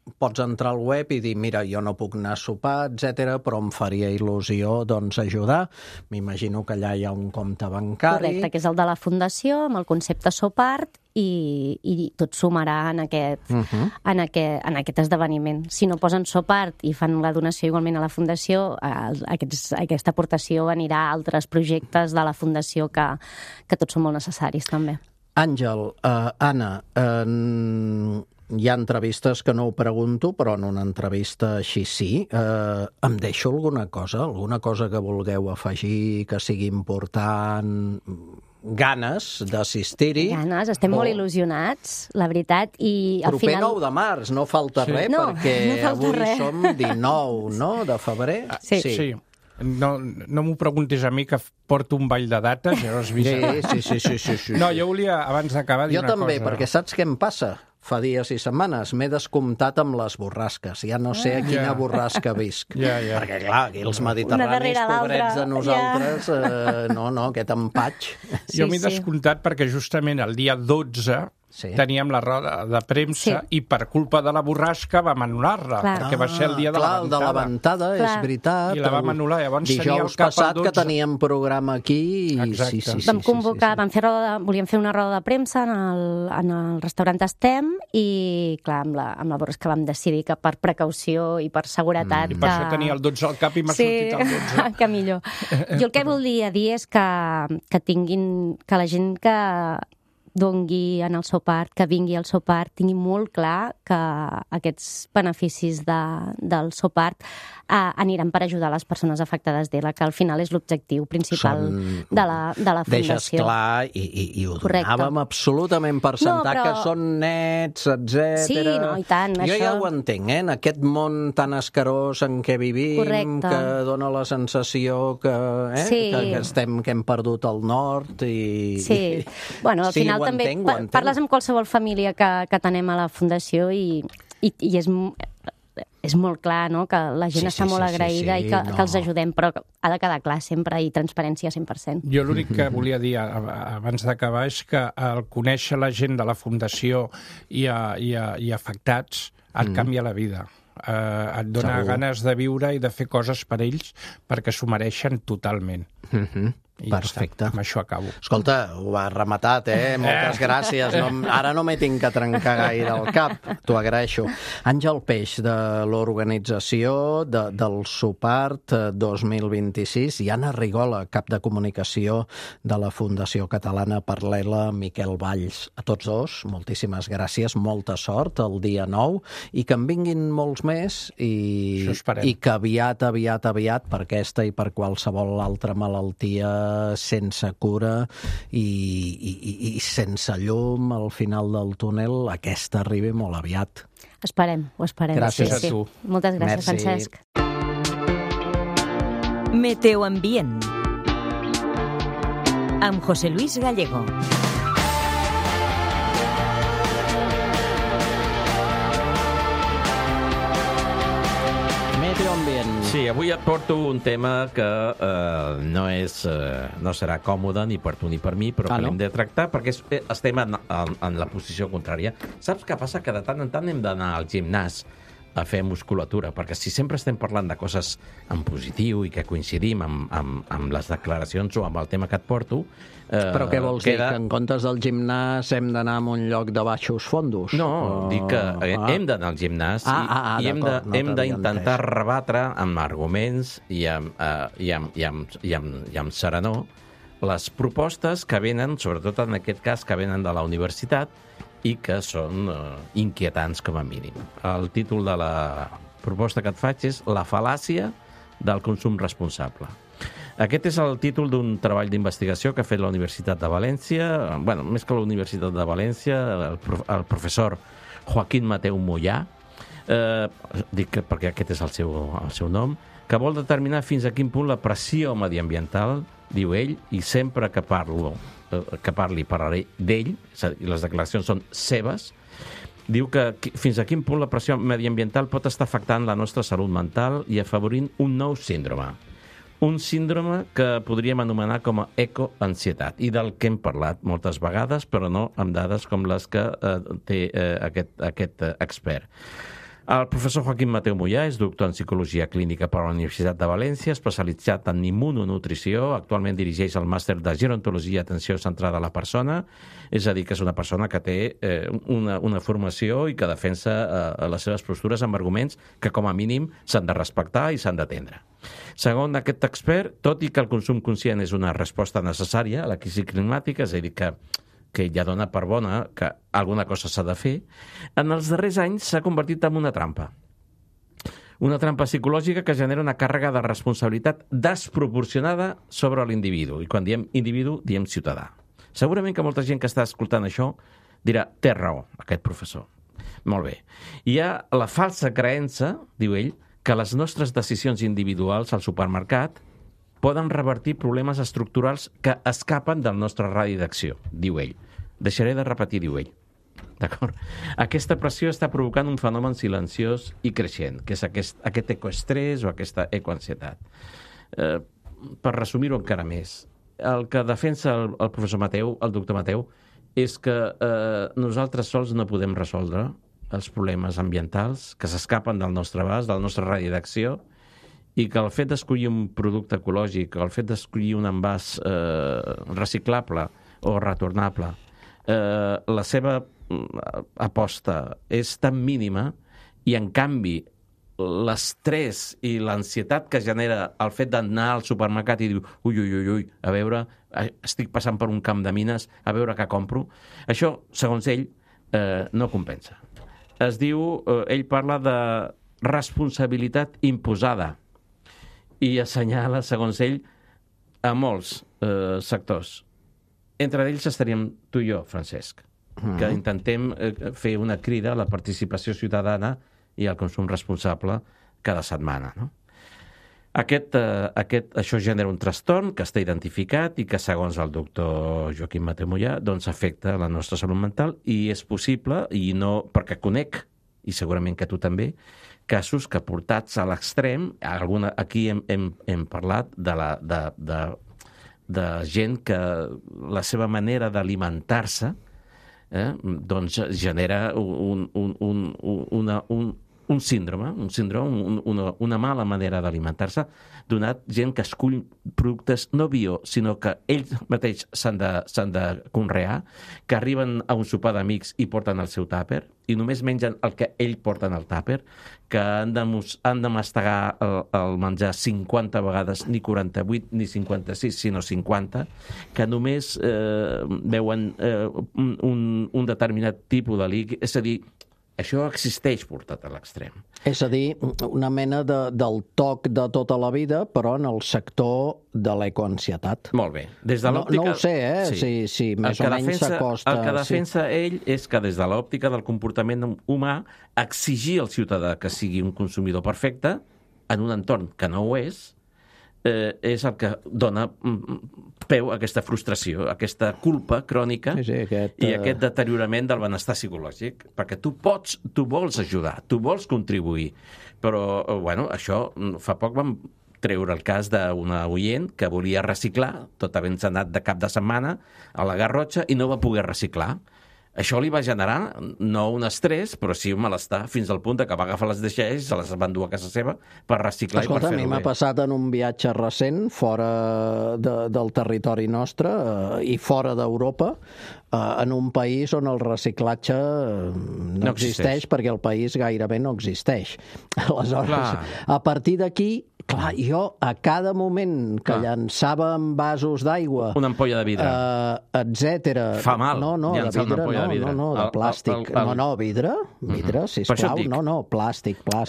pots entrar al web i dir, mira, jo no puc anar a sopar, etc, però em faria il·lusió doncs ajudar. M'imagino que allà hi ha un compte bancari. Correcte, que és el de la Fundació, amb el concepte Sopart, i tot sumarà en aquest esdeveniment. Si no posen Sopart i fan la donació igualment a la Fundació, aquesta aportació anirà a altres projectes de la Fundació que tots són molt necessaris també. Àngel, Anna, hi ha entrevistes que no ho pregunto, però en una entrevista així sí. Em deixo alguna cosa que vulgueu afegir, que sigui important, ganes d'assistir-hi? Ganes, estem molt il·lusionats, la veritat, i al proper final... 9 de març, no falta res, perquè avui som 19, no?, de febrer. Sí. No m'ho preguntis a mi, que porto un ball de dates, ja ho has vist. Sí. No, jo volia, abans d'acabar, dir una cosa. Jo també, perquè saps què em passa? Fa dies i setmanes m'he descomptat amb les borrasques. Ja no sé a quina borrasca visc. Perquè, clar, aquí els mediterranis, pobrets de nosaltres, aquest empatx. Jo m'he descomptat perquè justament el dia 12 teníem la roda de premsa i per culpa de la borrasca vam anul·lar-la, perquè va ser el dia de la ventada. De la ventada, és veritat. I la vam anul·lar, llavors tenia el dijous cap passat al 12. Que teníem programa aquí. Exacte. Vam convocar, volíem fer una roda de premsa en el restaurant Estem i, clar, amb la borrasca vam decidir que per precaució i per seguretat... I per això tenia el 12 al cap i m'ha sortit el 12. Que millor. Jo el que volia dir és que la gent que dongui en el seu part, que vingui al seu part, tingui molt clar que aquests beneficis del seu part aniran per ajudar les persones afectades d'ELA, que al final és l'objectiu principal de la fundació. Deixes clar, i ho donàvem absolutament per sentat, que són nets, etc. Sí, no, i tant. Jo ja ho entenc, en aquest món tan escarós en què vivim, que dona la sensació que hem perdut el nord. Sí, bueno, al final també parles amb qualsevol família que tenem a la fundació i és molt clar, no?, que la gent està molt agraïda i que els ajudem, però ha de quedar clar sempre i transparència 100%. Jo l'únic que volia dir abans d'acabar és que el conèixer la gent de la Fundació i afectats et canvia la vida. Et dona ganes de viure i de fer coses per ells perquè s'ho mereixen totalment. Perfecte. Amb això acabo. Escolta, ho has rematat, Moltes gràcies. Ara no m'he tinc que trencar gaire el cap. T'ho agraeixo. Àngel Peix, de l'organització del Supart 2026, i Anna Rigola, cap de comunicació de la Fundació Catalana per l'ELA, Miquel Valls. A tots dos, moltíssimes gràcies, molta sort el dia 9, i que en vinguin molts més, i que aviat, per aquesta i per qualsevol altra malaltia sense cura i sense llum al final del túnel, aquesta arribi molt aviat. Ho esperem. Gràcies a tu. Moltes gràcies, Francesc. Meteoambient amb José Luis Gallego. Sí, avui et porto un tema que no serà còmode ni per tu ni per mi, però que l'hem de tractar perquè estem en la posició contrària. Saps què passa? Que de tant en tant hem d'anar al gimnàs a fer musculatura, perquè si sempre estem parlant de coses en positiu i que coincidim amb les declaracions o amb el tema que et porto... Però què vols dir? Que en comptes del gimnàs hem d'anar a un lloc de baixos fondos? No, dic que hem d'anar al gimnàs i hem d'intentar rebatre amb arguments i amb serenor les propostes que venen, sobretot en aquest cas, que venen de la universitat i que són inquietants com a mínim. El títol de la proposta que et faig és La fal·làcia del consum responsable. Aquest és el títol d'un treball d'investigació que ha fet la Universitat de València, més que la Universitat de València, el professor Joaquín Mateu Mollà, dic perquè aquest és el seu nom, que vol determinar fins a quin punt la pressió mediambiental, diu ell, i sempre que parlaré d'ell, i les declaracions són seves, diu que fins a quin punt la pressió mediambiental pot estar afectant la nostra salut mental i afavorint un nou síndrome. Un síndrome que podríem anomenar com a ecoansietat, i del que hem parlat moltes vegades, però no amb dades com les que té aquest expert. El professor Joaquín Mateu Mollà és doctor en Psicologia Clínica per la Universitat de València, especialitzat en immunonutrició, actualment dirigeix el màster de Gerontologia i Atenció Centrada a la Persona, és a dir, que és una persona que té una formació i que defensa les seves postures amb arguments que com a mínim s'han de respectar i s'han d'atendre. Segons aquest expert, tot i que el consum conscient és una resposta necessària a la crisi climàtica, és a dir, que ja dona per bona que alguna cosa s'ha de fer, en els darrers anys s'ha convertit en una trampa. Una trampa psicològica que genera una càrrega de responsabilitat desproporcionada sobre l'individu. I quan diem individu, diem ciutadà. Segurament que molta gent que està escoltant això dirà, té raó, aquest professor. Molt bé. Hi ha la falsa creença, diu ell, que les nostres decisions individuals al supermercat poden revertir problemes estructurals que escapen del nostre radi d'acció, diu ell. Deixaré de repetir, diu ell. D'acord? Aquesta pressió està provocant un fenomen silenciós i creixent, que és aquest ecoestrès o aquesta ecoansietat. Per resumir-ho encara més, el que defensa el professor Mateu, el doctor Mateu, és que nosaltres sols no podem resoldre els problemes ambientals que s'escapen del nostre abast, del nostre radi d'acció, i que el fet d'escollir un producte ecològic, el fet d'escollir un envàs reciclable o retornable, la seva aposta és tan mínima i, en canvi, l'estrès i l'ansietat que genera el fet d'anar al supermercat i dir ui, a veure, estic passant per un camp de mines, a veure què compro, això, segons ell, no compensa. Es diu, ell parla de responsabilitat imposada i assenyala, segons ell, a molts sectors. Entre ells estaríem tu i jo, Francesc, que intentem fer una crida a la participació ciutadana i al consum responsable cada setmana. No? Això genera un trastorn que està identificat i que, segons el doctor Joaquim Mateu Mollà, doncs afecta la nostra salut mental i és possible, i no perquè conec, i segurament que tu també, casos que portats a l'extrem, aquí hem parlat de gent que la seva manera d'alimentar-se doncs genera un síndrome, una mala manera d'alimentar-se, donat gent que escull productes no bio, sinó que ells mateix s'han de conrear, que arriben a un sopar d'amics i porten el seu tàper, i només mengen el que ells porten al tàper, que han de mastegar el menjar 50 vegades, ni 48, ni 56, sinó 50, que només veuen un determinat tipus de líquid, és a dir, això existeix portat a l'extrem. És a dir, una mena del toc de tota la vida, però en el sector de l'ecoansietat. Molt bé. Des de l'òptica... No ho sé, si més o menys s'acosta... El que defensa ell és que des de l'òptica del comportament humà exigir al ciutadà que sigui un consumidor perfecte en un entorn que no ho és el que dona peu a aquesta frustració, a aquesta culpa crònica i aquest deteriorament del benestar psicològic, perquè tu vols ajudar, tu vols contribuir, però, bueno, això fa poc vam treure el cas d'una oient que volia reciclar, tot havent-se anat de cap de setmana a la Garrotxa i no va poder reciclar. Això li va generar no un estrès, però sí un malestar, fins al punt que va agafar les deixalles i se les va endur a casa seva per reciclar i per fer-ho bé. A mi m'ha passat en un viatge recent, fora del territori nostre i fora d'Europa, en un país on el reciclatge no existeix perquè el país gairebé no existeix. Aleshores, a partir d'aquí, clar, jo a cada moment que llançava vasos d'aigua... Una ampolla de vidre. Etcètera... Fa mal llançar una ampolla de vidre. No, de plàstic. No, vidre, sisplau. No, plàstic. Per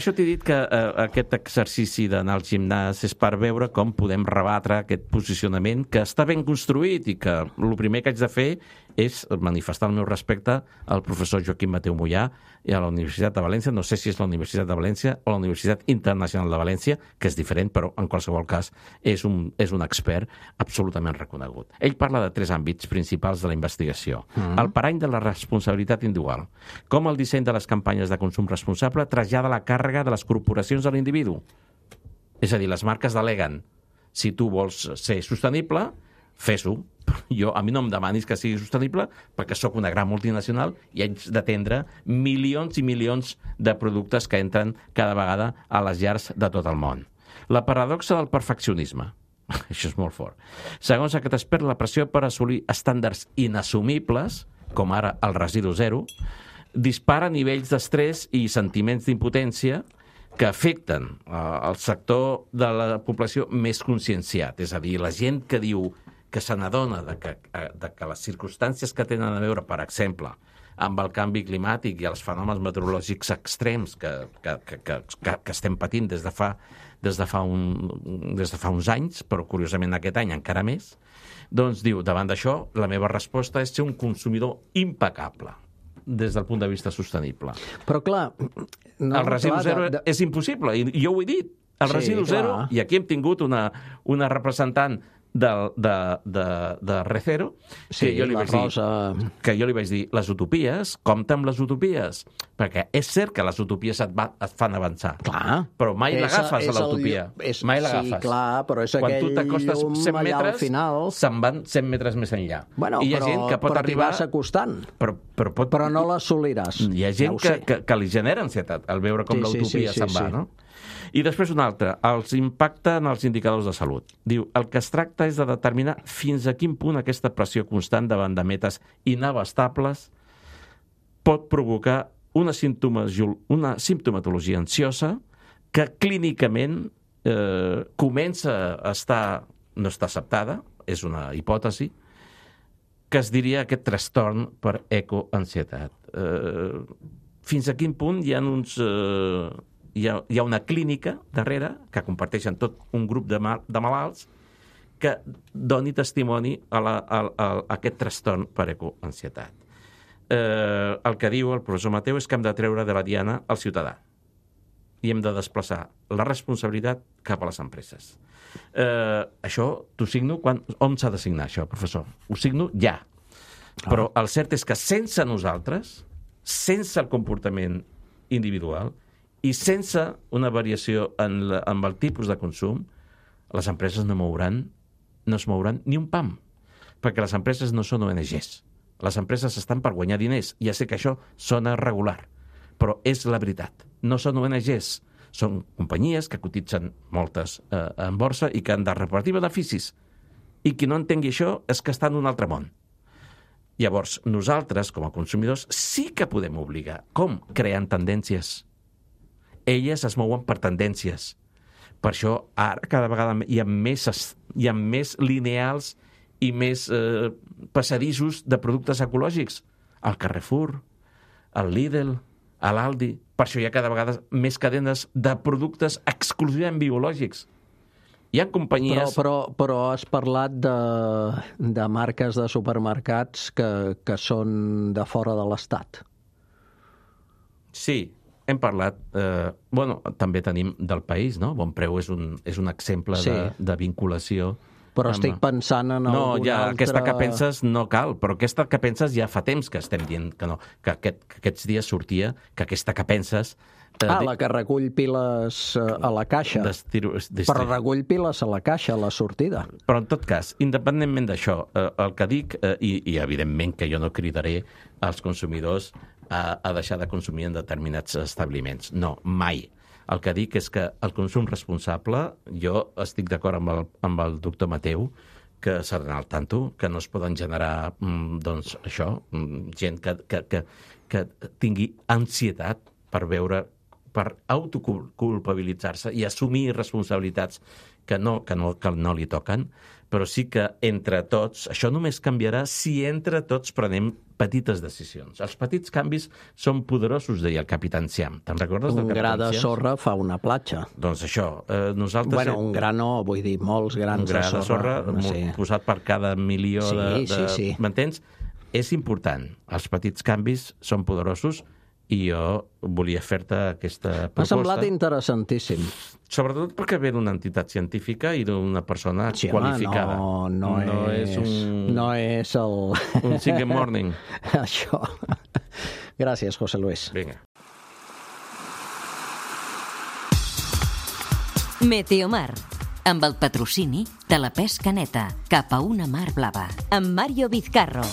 això t'he dit que aquest exercici d'anar al gimnàs és per veure com podem rebatre aquest posicionament que està ben construït i que el primer que haig de fer és manifestar el meu respecte al professor Joaquim Mateu Mollà i a la Universitat de València, no sé si és la Universitat de València o la Universitat Internacional de València, que és diferent, però en qualsevol cas és un expert absolutament reconegut. Ell parla de 3 àmbits principals de la investigació. El parany de la responsabilitat individual, com el disseny de les campanyes de consum responsable trasllada la càrrega de les corporacions a l'individu. És a dir, les marques deleguen. Si tu vols ser sostenible, fes-ho. A mi no em demanis que sigui sostenible perquè sóc una gran multinacional i haig d'atendre milions i milions de productes que entren cada vegada a les llars de tot el món. La paradoxa del perfeccionisme. Això és molt fort. Segons aquest expert, la pressió per assolir estàndards inassumibles, com ara el residu zero, dispara nivells d'estrès i sentiments d'impotència que afecten el sector de la població més conscienciat. És a dir, la gent que diu que se n'adona de que les circumstàncies que tenen a veure, per exemple, amb el canvi climàtic i els fenòmens meteorològics extrems que estem patint des de fa uns anys, però curiosament aquest any encara més, doncs diu, davant d'això, la meva resposta és ser un consumidor impecable des del punt de vista sostenible. Però clar... El residu zero és impossible, i jo ho he dit. El residu zero, i aquí hem tingut una representant de Recero, que jo li vaig dir, les utopies, compta amb les utopies, perquè és cert que les utopies et fan avançar. Clar. Però mai l'agafes a l'utopia. Mai l'agafes. Sí, clar, però és quan aquell tu t'acostes 100 metres, final... se'n van 100 metres més enllà. Bueno, I hi ha gent que pot arribar... t'hi vas acostant. Però no l'assoliràs. Hi ha gent que li genera ansietat al veure com l'utopia se'n va, no? I després un altre, els impacta en els indicadors de salut. Diu, el que es tracta és de determinar fins a quin punt aquesta pressió constant davant de metes inabastables pot provocar una simptomatologia ansiosa que clínicament comença a estar, no està acceptada, és una hipòtesi, que es diria aquest trastorn per ecoansietat. Fins a quin punt hi ha una clínica darrere que comparteixen tot un grup de malalts que doni testimoni a aquest trastorn per ecoansietat. El que diu el professor Mateu és que hem de treure de la diana el ciutadà i hem de desplaçar la responsabilitat cap a les empreses. Això t'ho signo on s'ha de signar això, professor? Ho signo ja. Però el cert és que sense nosaltres, sense el comportament individual i sense una variació en el tipus de consum, les empreses no es mouran ni un pam, perquè les empreses no són ONGs. Les empreses estan per guanyar diners. Ja sé que això sona regular, però és la veritat. No són ONGs, són companyies que cotitzen moltes en borsa i que han de repartir beneficis. I qui no entengui això és que està en un altre món. Llavors, nosaltres, com a consumidors, sí que podem obligar. Com? Creant tendències. Elles es mouen per tendències. Per això, ara, cada vegada hi ha més lineals i més passadissos de productes ecològics. Al Carrefour, al Lidl, a l'Aldi. Per això hi ha cada vegada més cadenes de productes exclusivament biològics. Hi ha companyies... Però has parlat de marques de supermercats que són de fora de l'Estat. Sí, hem parlat... també tenim del país, no? Bonpreu és un exemple de vinculació. Però estic pensant en alguna altra... aquesta que penses no cal, però aquesta que penses ja fa temps que estem dient que no, que aquests dies sortia que aquesta que penses... la que recull piles a la caixa. Però recull piles a la caixa, a la sortida. Però en tot cas, independentment d'això, el que dic, i evidentment que jo no cridaré als consumidors a deixar de consumir en determinats establiments. No, mai. El que dic és que el consum responsable, jo estic d'acord amb el doctor Mateu, que s'ha d'anar al tanto, que no es poden generar, doncs, això, gent que tingui ansietat per autoculpabilitzar-se i assumir responsabilitats que no li toquen, però sí que entre tots, això només canviarà si entre tots prenem petites decisions. Els petits canvis són poderosos, deia el capità Enciam. Te'n recordes del capità Enciam? Un gra de sorra fa una platja. Doncs això, nosaltres... Bueno, un gra no, vull dir, molts grans de sorra. Un gra de sorra posat per cada milió de... Sí. M'entens? És important. Els petits canvis són poderosos i jo volia fer-te aquesta proposta. M'ha semblat interessantíssim. Sobretot perquè ve d'una entitat científica i d'una persona qualificada. No és un... No és el... Un single morning. Això. Gràcies, José Luis. Vinga. Meteomar, amb el patrocini de la pesca neta cap a una mar blava. Amb Mario Vizcarro.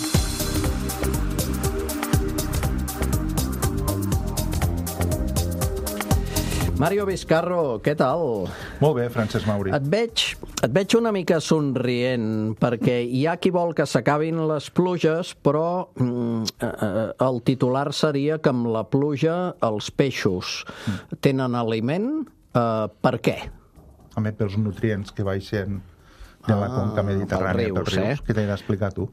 Mario Vizcarro, què tal? Molt bé, Francesc Mauri. Et veig una mica somrient, perquè hi ha qui vol que s'acabin les pluges, però el titular seria que amb la pluja els peixos tenen aliment. Per què? Home, pels nutrients que baixen de la conca mediterrània, pels rius, que t'he d'explicar tu.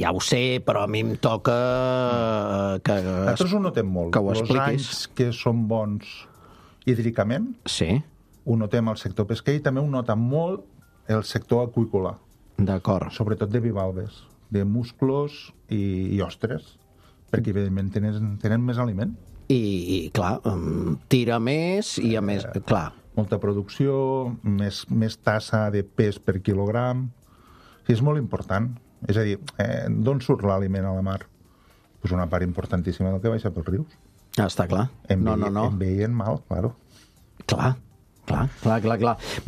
Ja ho sé, però a mi em toca que nosaltres ho notem molt. Que ho expliquis. Els anys que són bons hídricament, sí. Ho notem al sector pesquer i també ho nota molt el sector aqüícola. D'acord. Sobretot de bivalves, de musclos i ostres, perquè evidentment tenen més aliment. I clar, tira més i a més, clar. Molta producció, més tassa de pes per quilogram. És molt important. És a dir, d'on surt l'aliment a la mar? Pues una part importantíssima del que baixa pels rius. Està clar. No. En veien mal, claro. Clar.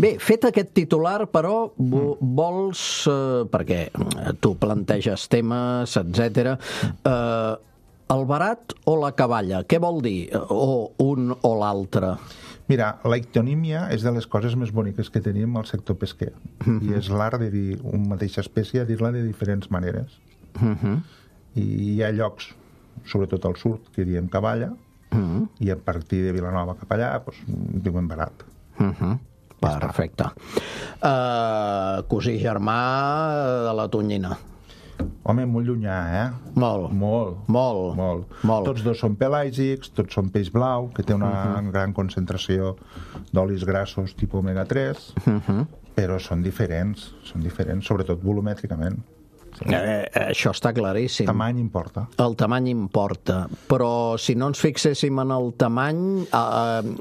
Bé, fet aquest titular, però vols, perquè tu planteges temes, etc. El barat o la caballa? Què vol dir? O un o l'altre? Mira, la ictonímia és de les coses més boniques que tenim al sector pesquer. I és l'art de dir una mateixa espècie, dir-la de diferents maneres. I hi ha llocs sobretot al sud, que diem Cavalla, i a partir de Vilanova cap allà, doncs, diuen barat. Perfecte. Cosí germà de la Tonyina. Home, molt llunyà, Molt. Tots dos són pelàgics, tots són peix blau, que té una gran concentració d'olis grassos tipus omega-3, però són diferents, sobretot volumètricament. Això està claríssim. El tamany importa. El tamany importa, però si no ens fixéssim en el tamany,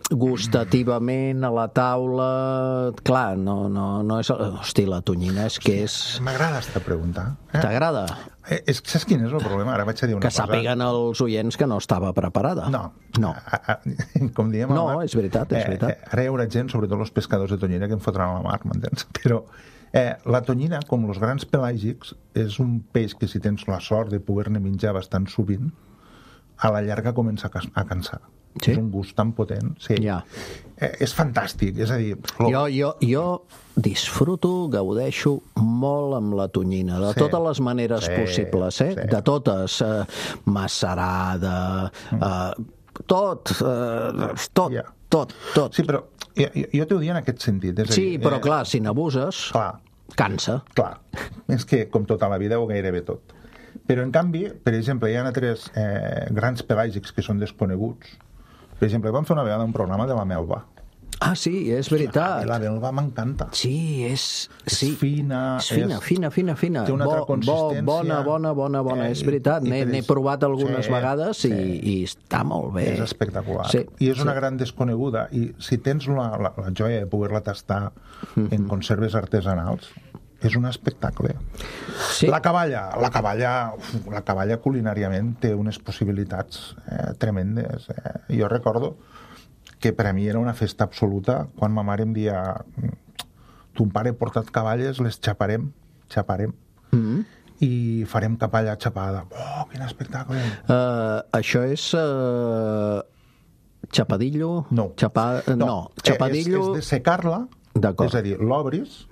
gustativament a la taula, clar, no és... Hosti, la tonyina és que és... M'agrada esta pregunta. T'agrada? Saps quin és el problema? Ara vaig a dir una cosa. Que sàpiguen els oients que no estava preparada. No. Com diem... No, és veritat. Ara hi haurà gent, sobretot els pescadors de tonyina, que em fotran a la mar, m'entens? Però la tonyina, com els grans pelàgics, és un peix que si tens la sort de poder-ne menjar bastant sovint, a la llarga comença a cansar. Sí? És un gust tan potent. Sí. Ja. És fantàstic, és a dir... Jo disfruto, gaudeixo molt amb la tonyina, de totes les maneres possibles, de totes, macerada, tot. Sí, però jo t'ho dic en aquest sentit. Però clar, si n'abuses, cansa. Clar, és que com tota la vida o gairebé tot. Però en canvi, per exemple, hi ha altres grans pelàgics que són desconeguts. Per exemple, vam fer una vegada un programa de la melva. Ah, sí, és veritat. La melva m'encanta. Sí, és fina. És fina. Té una altra consistència. Bona, és veritat. N'he provat algunes vegades i està molt bé. És espectacular. I és una gran desconeguda. I si tens la joia de poder-la tastar en conserves artesanals, és un espectacle. Sí. La caballa culinàriament té unes possibilitats tremendes. Jo recordo que per a mi era una festa absoluta quan ma mare em dia ton pare ha portat caballes, les xaparem i farem caballa xapada. Oh, quin espectacle! Això és xapadillo? No. Xapadillo... És de secar-la. És a dir, l'obris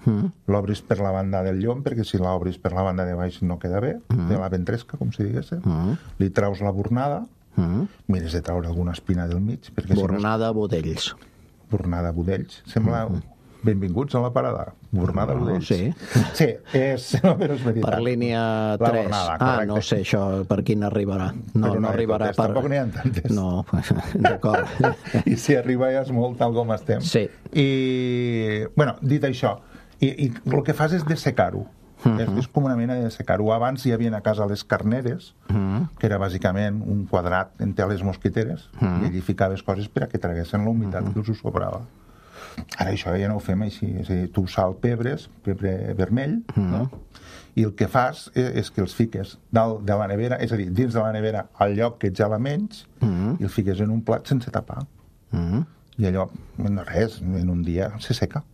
per la banda del llom, perquè si l'obris per la banda de baix no queda bé, de la ventresca, com si digués, li traus la bornada, mires de traure alguna espina del mig, perquè bornada budells. Bornada budells. Sembla benvinguts a la parada. Bornada budells. Sí, però és veritat. Per línia 3. No sé això per quin arribarà. No arribarà per... Tampoc n'hi ha tantes. No, d'acord. I si arriba ja és molt tal com estem. Sí. I, bueno, dit això, i el que fas és dessecar-ho. És com una mena de secar-ho. Abans hi havia a casa les carneres, que era bàsicament un quadrat en teles mosquiteres, i allí ficaves coses per a que traguessin la humitat que us sobrava. Ara això ja no ho fem així. És a dir, tu sal pebre vermell, no? I el que fas és que els fiques dalt de la nevera, és a dir, dins de la nevera al lloc que ets ja la menys, i el fiques en un plat sense tapar. I allò, no res, en un dia se seca.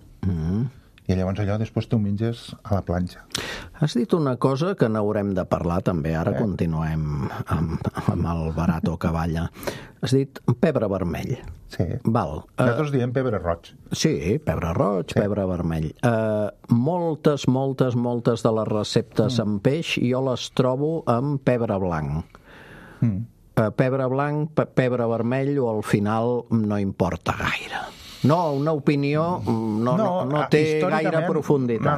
I llavors allò després t'ho menges a la planxa. Has dit una cosa que n'haurem de parlar també, ara continuem amb el barato caballa. Has dit pebre vermell. Sí. Val. Nosaltres diem pebre roig. Sí, pebre roig, pebre vermell. Moltes de les receptes amb peix jo les trobo amb pebre blanc. Pebre blanc, pebre vermell o al final no importa gaire. No, una opinió no té gaire profunditat.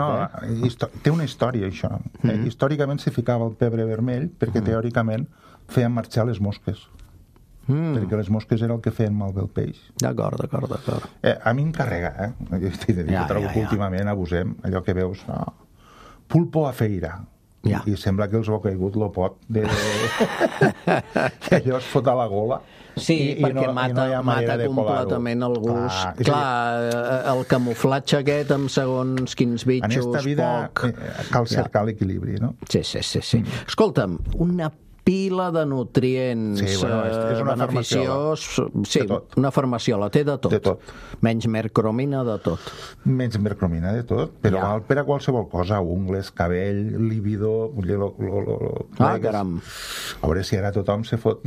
Té una història, això. Històricament se ficava el pebre vermell perquè teòricament feien marxar les mosques. Perquè les mosques era el que feien malbé el peix. D'acord. A mi em carrega, Jo trobo que últimament abusem, allò que veus, pulpo a feira. I sembla que els ha caigut el pot que allò es fot a la gola. Sí, perquè mata completament el gust. Clar, el camuflatge aquest amb segons quins bitxos... En esta vida cal cercar l'equilibri, no? Sí. Escolta'm, una pila de nutrients beneficiós... Sí, una farmaciola, té de tot. Menys mercromina, de tot. Menys mercromina, de tot, però val per a qualsevol cosa, ungles, cabell, líbido... Caram. A veure si ara tothom se fot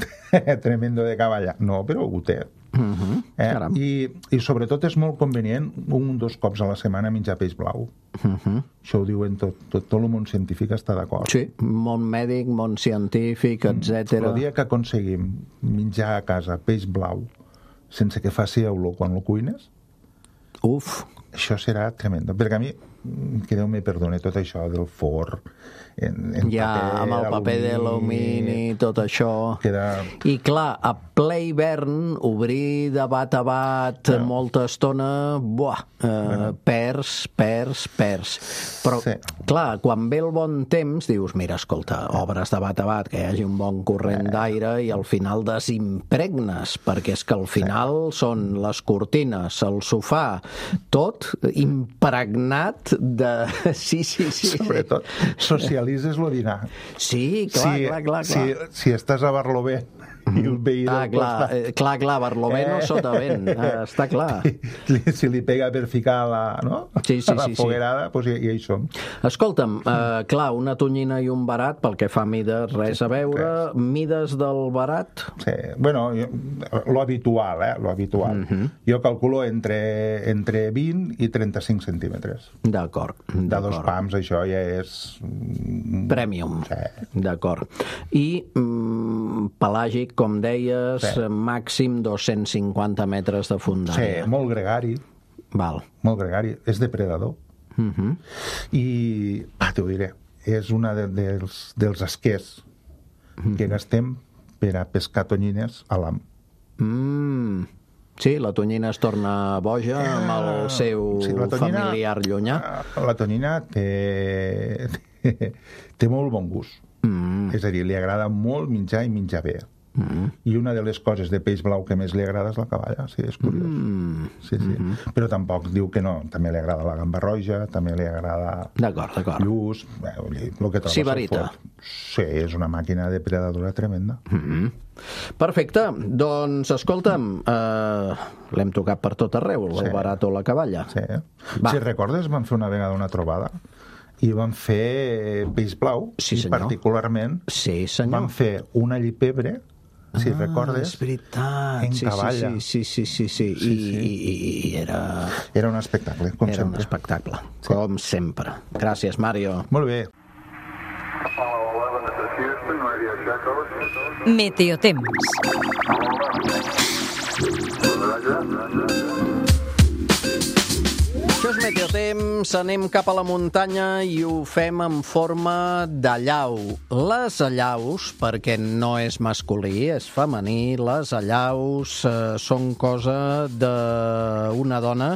tremendo de cavalla. No, però ho té. I sobretot és molt convenient 1 o 2 cops a la setmana menjar peix blau. Això ho diuen tot el món científic està d'acord. Sí, món mèdic, món científic, etc. El dia que aconseguim menjar a casa peix blau sense que faci olor quan lo cuines, això serà tremendo. Perquè a mi, que Déu me perdone tot això del forn, amb el paper d'alumini, tot això. I clar, a ple hivern, obrir de bat a bat molta estona, perds. Però, clar, quan ve el bon temps, dius, mira, escolta, obres de bat a bat, que hi hagi un bon corrent d'aire i al final desimpregnes, perquè és que al final són les cortines, el sofà, tot impregnat de... Sí. Sobretot, socialitzes lo dinar. Sí, clar. Si estàs a Barlovent i el veí del costat... Clar, Barlovent o Sotavent, està clar. Si li pega per ficar a la foguerada, doncs hi som. Escolta'm, clar, una tonyina i un barat, pel que fa a mides, res a veure. Mides del barat? Sí, bueno, lo habitual, lo habitual. Jo calculo entre 20 i 35 centímetres. D'acord. De 2 pams, això ja és... Premium. D'acord. I pelàgic, com deies, màxim 250 metres de fondària. Sí, molt gregari. Val. Molt gregari. És depredador. I, t'ho diré, és una dels esquers que gastem per a pescar tonyines a l'am. Sí, la tonyina es torna boja amb el seu familiar llunyà. La tonyina té molt bon gust. És a dir, li agrada molt menjar i menjar bé. I una de les coses de peix blau que més li agrada és la caballa, sí, és curiós. Sí. Però tampoc diu que no, també li agrada la gamba roja, també li agrada lluç, el que trobes al forn. Sí, és una màquina depredadora tremenda. Perfecte, doncs escolta'm, l'hem tocat per tot arreu, el barat o la caballa. Sí. Si recordes, vam fer una vegada una trobada i vam fer peix blau, i particularment vam fer una llipebre, si recordes, és veritat, en caballa. Sí. I era... Era un espectacle, com sempre. Era un espectacle, com sempre. Gràcies, Mario. Molt bé. Meteotemps. Això és Meteotemps, anem cap a la muntanya i ho fem en forma d'allau. Les allaus, perquè no és masculí, és femení, les allaus són cosa d'una dona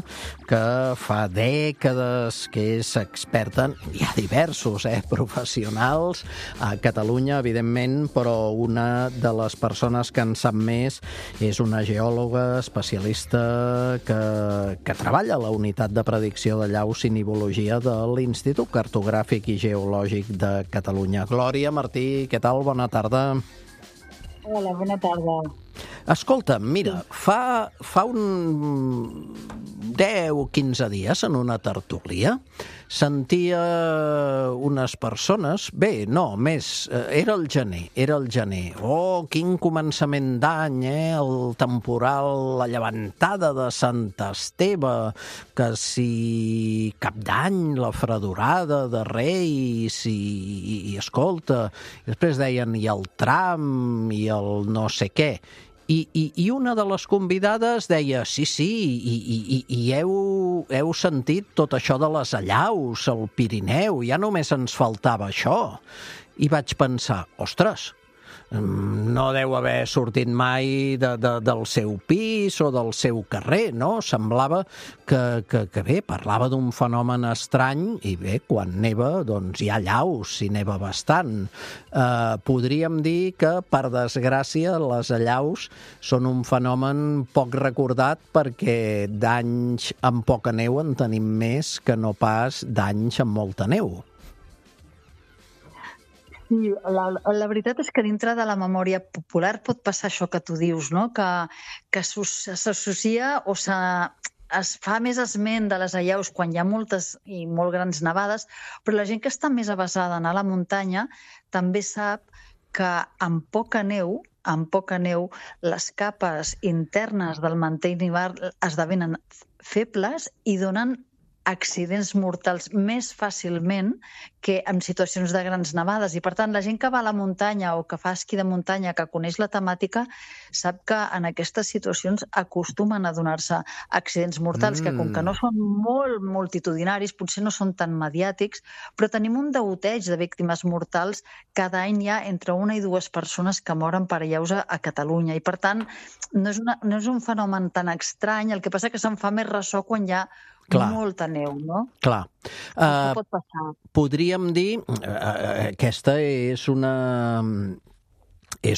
que fa dècades que és experta, hi ha diversos professionals a Catalunya, evidentment, però una de les persones que en sap més és una geòloga especialista que treballa a la unitat de predicció de llaus i nivologia de l'Institut Cartogràfic i Geològic de Catalunya. Glòria Martí, què tal? Bona tarda. Hola, bona tarda. Escolta, mira, fa un 10 o 15 dies en una tertúlia sentia unes persones, era el gener. Oh, quin començament d'any, el temporal, la llevantada de Sant Esteve, que si Cap d'Any, la fredurada de Reis, i escolta, després deien i el tram, i el no sé què. I una de les convidades deia, sí, i heu sentit tot això de les allaus, el Pirineu, ja només ens faltava això. I vaig pensar, ostres, no deu haver sortit mai del seu pis o del seu carrer, no? Semblava que bé, parlava d'un fenomen estrany i bé, quan neva, doncs hi ha allaus, i neva bastant. Podríem dir que, per desgràcia, les allaus són un fenomen poc recordat perquè d'anys amb poca neu en tenim més que no pas d'anys amb molta neu. Sí, la veritat és que dintre de la memòria popular pot passar això que tu dius, no? Que s'associa o es fa més esment de les allaus quan hi ha moltes i molt grans nevades, però la gent que està més avesada a anar a la muntanya també sap que amb poca neu amb poca neu, les capes internes del mantell nival esdevenen febles i donen accidents mortals més fàcilment que en situacions de grans nevades. I, per tant, la gent que va a la muntanya o que fa esquí de muntanya, que coneix la temàtica, sap que en aquestes situacions acostumen a donar-se accidents mortals, que com que no són molt multitudinaris, potser no són tan mediàtics, però tenim un degoteig de víctimes mortals. Cada any hi ha entre 1 i 2 persones que moren per allaus a Catalunya. I, per tant, no és un fenomen tan estrany. El que passa que se'n fa més ressò quan hi ha molta neu, no? Clar. Això pot passar. Podríem dir, aquesta és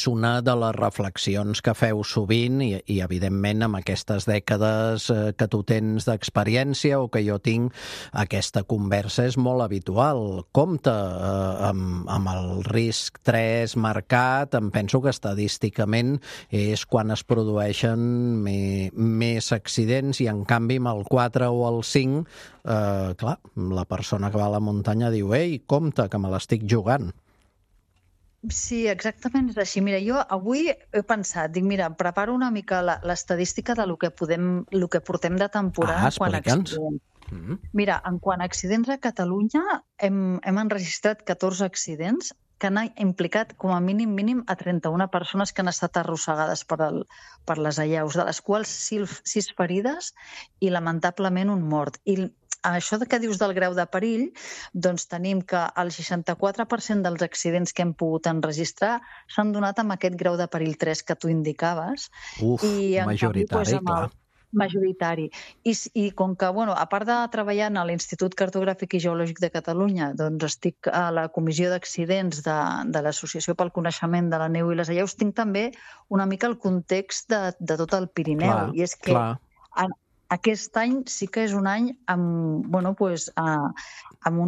una de les reflexions que feu sovint i evidentment, amb aquestes dècades que tu tens d'experiència o que jo tinc, aquesta conversa és molt habitual. Compte amb el risc 3 marcat, em penso que estadísticament és quan es produeixen més accidents i, en canvi, amb el 4 o el 5, clar, la persona que va a la muntanya diu «Ei, compte, que me l'estic jugant». Sí, exactament és així. Mira, jo avui he pensat, dic, mira, preparo una mica l'estadística de lo que portem de temporada quan accidents. Mira, en quant a accidents a Catalunya, hem enregistrat 14 accidents que han implicat com a mínim a 31 persones que han estat arrossegades per les allaus, de les quals 6 ferides i, lamentablement, un mort. I això que dius del grau de perill, doncs tenim que el 64% dels accidents que hem pogut enregistrar s'han donat amb aquest grau de perill 3 que tu indicaves. Majoritari, clar. Majoritari. I com que, a part de treballar a l'Institut Cartogràfic i Geològic de Catalunya, doncs estic a la Comissió d'Accidents de l'Associació pel Coneixement de la Neu i les Allaus, tinc també una mica el context de tot el Pirineu. I és que aquest any sí que és un any amb un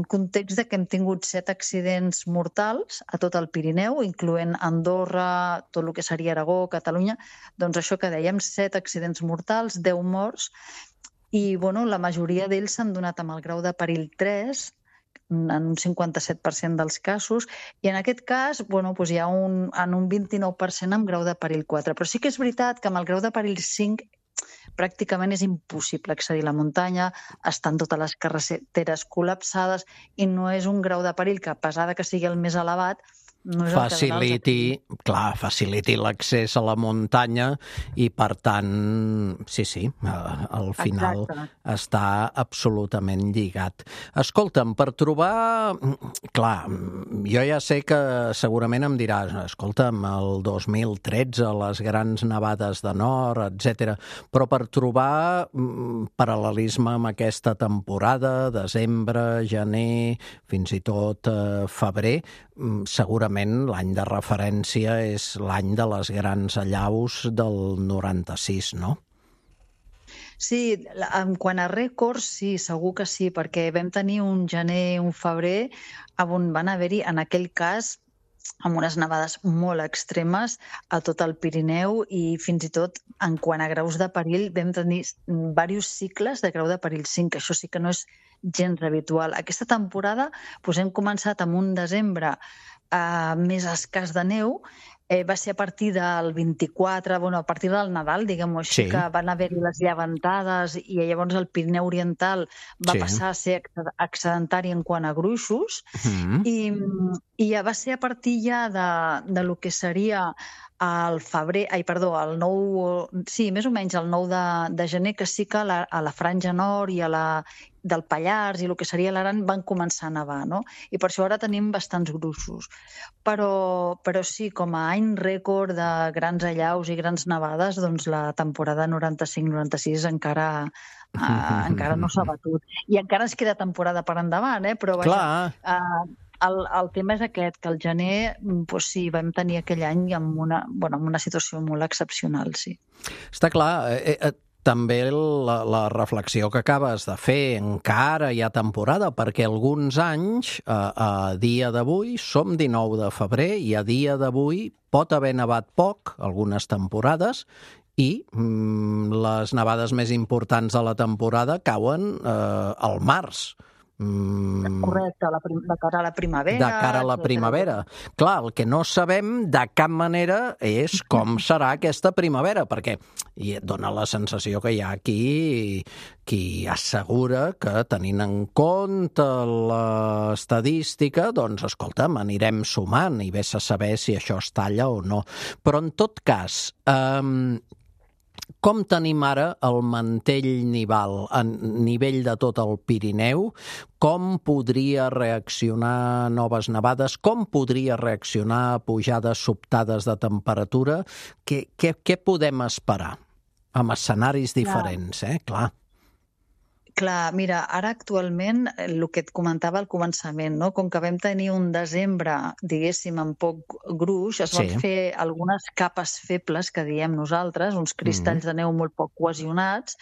context de que hem tingut 7 accidents mortals a tot el Pirineu, incloent Andorra, tot el que seria Aragó, Catalunya. Doncs això que dèiem, 7 accidents mortals, 10 morts, i la majoria d'ells s'han donat amb el grau de perill 3, en un 57% dels casos, i en aquest cas hi ha un 29% amb grau de perill 4. Però sí que és veritat que amb el grau de perill 5 pràcticament és impossible accedir a la muntanya, estan totes les carreteres col·lapsades i no és un grau de perill que, a pesar que sigui el més elevat, no és faciliti l'accés a la muntanya i, per tant, sí, al final està absolutament lligat. Escolta'm, per trobar... Clar, jo ja sé que segurament em diràs, escolta'm, el 2013, les grans nevades de nord, etc. Però per trobar paral·lelisme amb aquesta temporada, desembre, gener, fins i tot febrer, segurament l'any de referència és l'any de les grans allaus del 96, no? Sí, en quant a rècords, sí, segur que sí, perquè vam tenir un gener, un febrer, on van haver-hi, en aquell cas, amb unes nevades molt extremes a tot el Pirineu i fins i tot, en quant a graus de perill, vam tenir diversos cicles de grau de perill 5, que això sí que no és gens habitual. Aquesta temporada hem començat amb un desembre més escàs de neu, va ser a partir del 24, a partir del Nadal, diguem-ho així, que van haver-hi les llevantades i llavors el Pirineu Oriental va passar a ser excedentari en quant a gruixos i ja va ser a partir ja de lo que seria el febrer, més o menys el 9 de gener, que sí que a la franja nord i del Pallars i el que seria l'Aran van començar a nevar, no? I per això ara tenim bastants gruixos. Però sí, com a any rècord de grans allaus i grans nevades, doncs la temporada 95-96 encara no s'ha batut. I encara ens queda temporada per endavant, però vaja... El tema és aquest, que al gener sí, vam tenir aquell any amb una situació molt excepcional, sí. Està clar, també la reflexió que acabes de fer, encara hi ha temporada, perquè alguns anys, a dia d'avui, som 19 de febrer i a dia d'avui pot haver nevat poc, algunes temporades, i les nevades més importants de la temporada cauen al març. Correcte, de cara a la primavera. De cara a la primavera. Clar, el que no sabem de cap manera és com serà aquesta primavera, perquè dona la sensació que hi ha qui assegura que, tenint en compte l'estadística, doncs, escolta'm, anirem sumant i vés a saber si això es talla o no. Però, en tot cas, com tenim ara el mantell nival a nivell de tot el Pirineu? Com podria reaccionar noves nevades? Com podria reaccionar pujades sobtades de temperatura? Què podem esperar? Amb escenaris diferents, clar. Clar, mira, ara actualment, el que et comentava al començament, no? Com que vam tenir un desembre, diguéssim, amb poc gruix, es van fer algunes capes febles, que diem nosaltres, uns cristalls de neu molt poc cohesionats,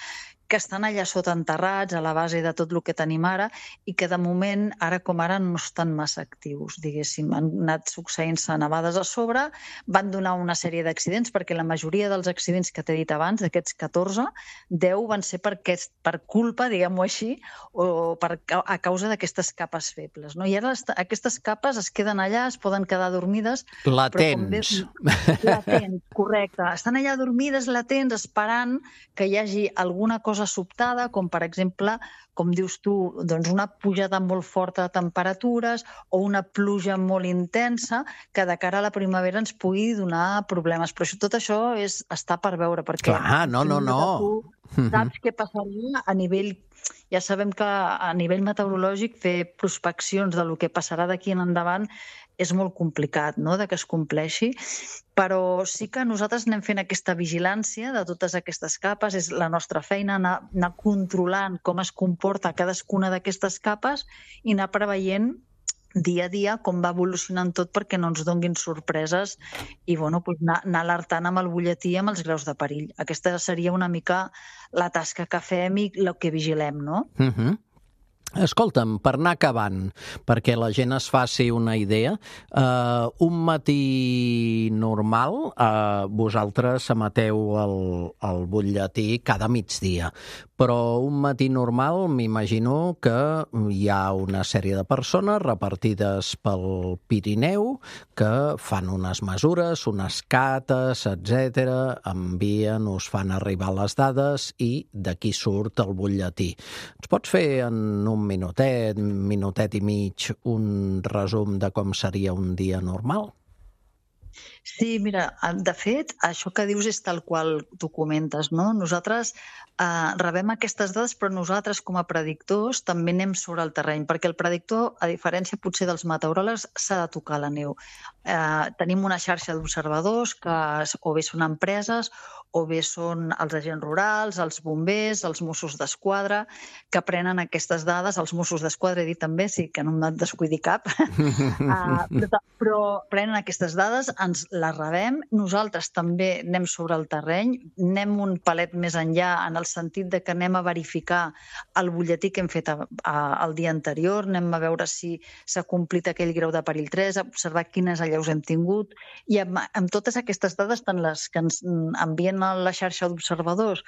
que estan allà sota enterrats, a la base de tot el que tenim ara, i que de moment, ara com ara, no estan massa actius, diguéssim. Han anat succeint-se nevades a sobre, van donar una sèrie d'accidents, perquè la majoria dels accidents que t'he dit abans, d'aquests 14, 10 van ser per culpa, diguem-ho així, o a causa d'aquestes capes febles. I ara aquestes capes es queden allà, es poden quedar dormides. Latents. Latents, correcte. Estan allà dormides, latents, esperant que hi hagi alguna cosa sobtada, com per exemple, com dius tu, doncs una pujada molt forta de temperatures o una pluja molt intensa que de cara a la primavera ens pugui donar problemes. Però tot això està per veure, perquè... Clar, no. Tu saps què passaria a nivell... Ja sabem que a nivell meteorològic fer prospeccions de lo que passarà d'aquí en endavant és molt complicat, no?, de que es compleixi, però sí que nosaltres anem fent aquesta vigilància de totes aquestes capes, és la nostra feina anar controlant com es comporta cadascuna d'aquestes capes i anar preveient dia a dia com va evolucionant tot perquè no ens donguin sorpreses i anar alertant amb el butlletí amb els graus de perill. Aquesta seria una mica la tasca que fem i el que vigilem, no? Escolta'm, per anar acabant, perquè la gent es faci una idea, un matí normal, vosaltres emeteu el butlletí cada migdia, però un matí normal m'imagino que hi ha una sèrie de persones repartides pel Pirineu que fan unes mesures, unes cates, etc., envien, us fan arribar les dades i d'aquí surt el butlletí. Ens pots fer en un minutet i mig, un resum de com seria un dia normal? Sí, mira, de fet, això que dius és tal qual tu comentes, no? Nosaltres rebem aquestes dades, però nosaltres, com a predictors, també anem sobre el terreny, perquè el predictor, a diferència potser dels meteoròlegs, s'ha de tocar la neu. Tenim una xarxa d'observadors que o bé són empreses o bé són els agents rurals, els bombers, els Mossos d'Esquadra, que prenen aquestes dades. Els Mossos d'Esquadra, he dit també, sí, que no me'n descuidi cap, però prenen aquestes dades, ens les rebem. Nosaltres també anem sobre el terreny, anem un palet més enllà en el sentit de que anem a verificar el butlletí que hem fet el dia anterior, anem a veure si s'ha complit aquell grau de perill 3, a observar quines allaus hem tingut, i amb totes aquestes dades, tant les que ens envien a la xarxa d'observadors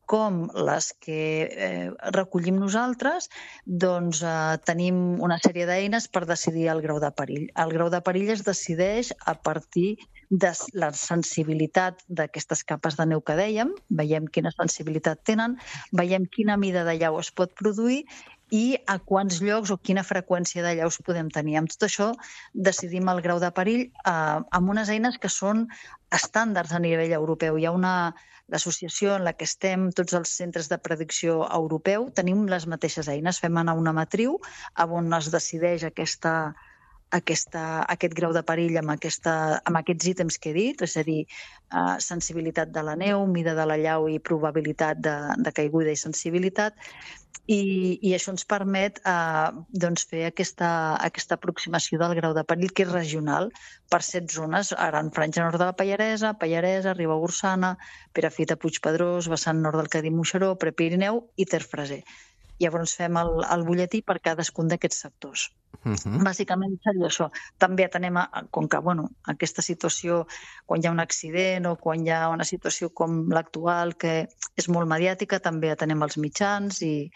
com les que recollim nosaltres, doncs tenim una sèrie d'eines per decidir el grau de perill. El grau de perill es decideix a partir de la sensibilitat d'aquestes capes de neu que dèiem, veiem quina sensibilitat tenen, veiem quina mida de llau es pot produir i a quants llocs o quina freqüència de llaus podem tenir. Amb tot això decidim el grau de perill amb unes eines que són estàndards a nivell europeu. Hi ha l'associació en la que estem, tots els centres de predicció europeu, tenim les mateixes eines, fem anar una matriu on es decideix aquest grau de perill amb aquests ítems que he dit, és a dir, sensibilitat de la neu, mida de la llau i probabilitat de caiguda i sensibilitat, i això ens permet fer aquesta aproximació del grau de perill, que és regional, per 7 zones, Gran Franja Nord de la Pallaresa, Ribagorçana, Perafita, Puigpedrós, vessant nord del Cadí-Moixeró, Prepirineu i Ter Freser. Llavors fem el butlletí per cadascun d'aquests sectors. Bàsicament seria això. També atenem, com que aquesta situació, quan hi ha un accident o quan hi ha una situació com l'actual, que és molt mediàtica, també atenem els mitjans i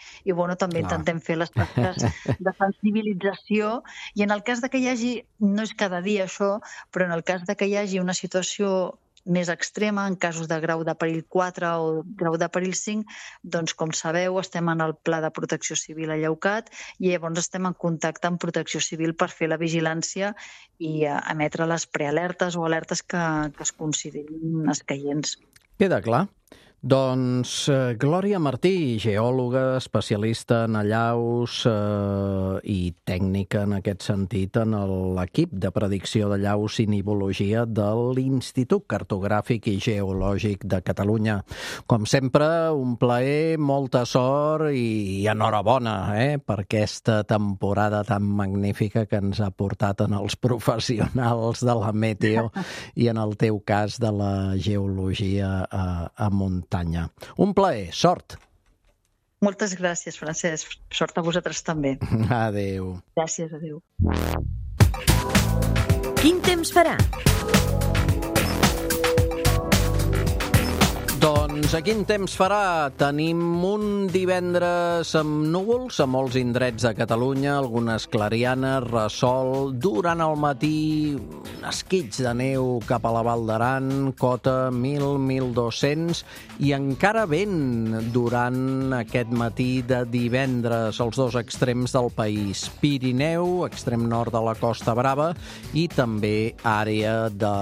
també intentem fer les tasques de sensibilització. I en el cas de que hi hagi, no és cada dia això, però en el cas de que hi hagi una situació més extrema, en casos de grau de perill 4 o grau de perill 5, doncs, com sabeu, estem en el Pla de Protecció Civil a Lleucat i llavors estem en contacte amb Protecció Civil per fer la vigilància i emetre les prealertes o alertes que es considerin escaients. Queda clar. Doncs Glòria Martí, geòloga, especialista en allaus i tècnica en aquest sentit en l'equip de predicció d'allaus i nivologia de l'Institut Cartogràfic i Geològic de Catalunya. Com sempre, un plaer, molta sort i enhorabona per aquesta temporada tan magnífica que ens ha portat en els professionals de la meteo i en el teu cas de la geologia a muntanya. Un plaer, sort. Moltes gràcies, Francesc. Sort a vosaltres també. Adéu. Gràcies, adéu. Quin temps farà? Doncs a quin temps farà? Tenim un divendres amb núvols a molts indrets de Catalunya, algunes clarianes, ressol, durant el matí esquits de neu cap a la Val d'Aran, cota 1.000-1.200 i encara vent durant aquest matí de divendres als dos extrems del país. Pirineu, extrem nord de la Costa Brava i també àrea de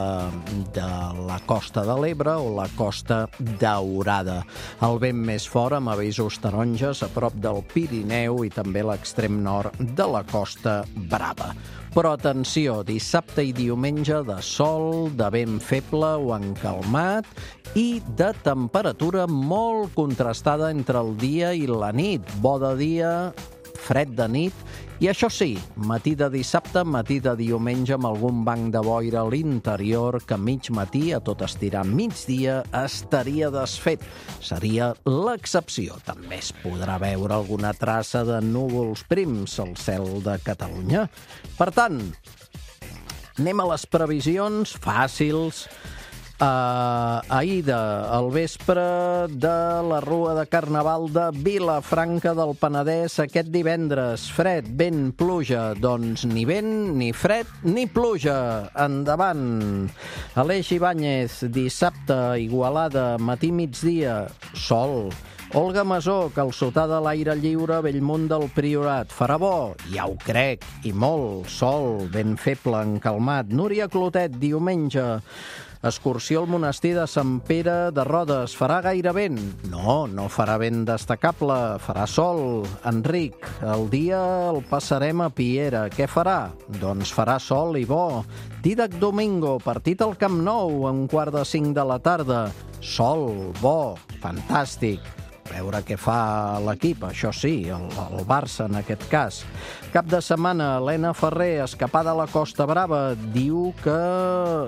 la Costa de l'Ebre o la Costa Daurada. El vent més fort amb avisos taronges a prop del Pirineu i també l'extrem nord de la Costa Brava. Però atenció, dissabte i diumenge de sol, de vent feble o encalmat i de temperatura molt contrastada entre el dia i la nit. Bo de dia, fred de nit i això sí, matí de dissabte, matí de diumenge amb algun banc de boira a l'interior que mig matí, a tot estirar migdia, estaria desfet. Seria l'excepció. També es podrà veure alguna traça de núvols prims al cel de Catalunya. Per tant, anem a les previsions fàcils. Ahir al vespre de la Rua de Carnaval de Vilafranca del Penedès aquest divendres. Fred, vent, pluja. Doncs ni vent, ni fred, ni pluja. Endavant. Aleix Ibáñez, dissabte, Igualada, matí migdia, sol. Olga Masó, calçotada a l'aire lliure, Bellmunt del Priorat. Farà bo? Ja ho crec, i molt. Sol, ben feble, encalmat. Núria Clotet, diumenge. Excursió al monestir de Sant Pere de Rodes. Farà gaire vent? No, no farà vent destacable. Farà sol. Enric, el dia el passarem a Piera. Què farà? Doncs farà sol i bo. Dídac Domingo, partit al Camp Nou a 4:45 de la tarda. Sol, bo, fantàstic. Veure què fa l'equip, això sí, el Barça en aquest cas. Cap de setmana, Helena Ferrer, escapada a la Costa Brava. Diu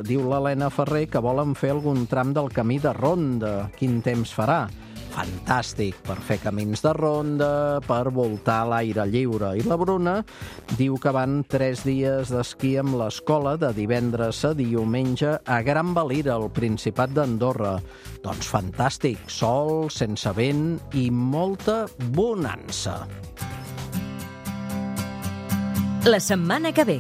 l'Helena Ferrer que volen fer algun tram del camí de ronda. Quin temps farà? Fantàstic, per fer camins de ronda, per voltar a l'aire lliure. I la Bruna diu que van 3 dies d'esquí amb l'escola de divendres a diumenge a Gran Valira, al Principat d'Andorra. Doncs fantàstic, sol, sense vent i molta bonança. La setmana que ve.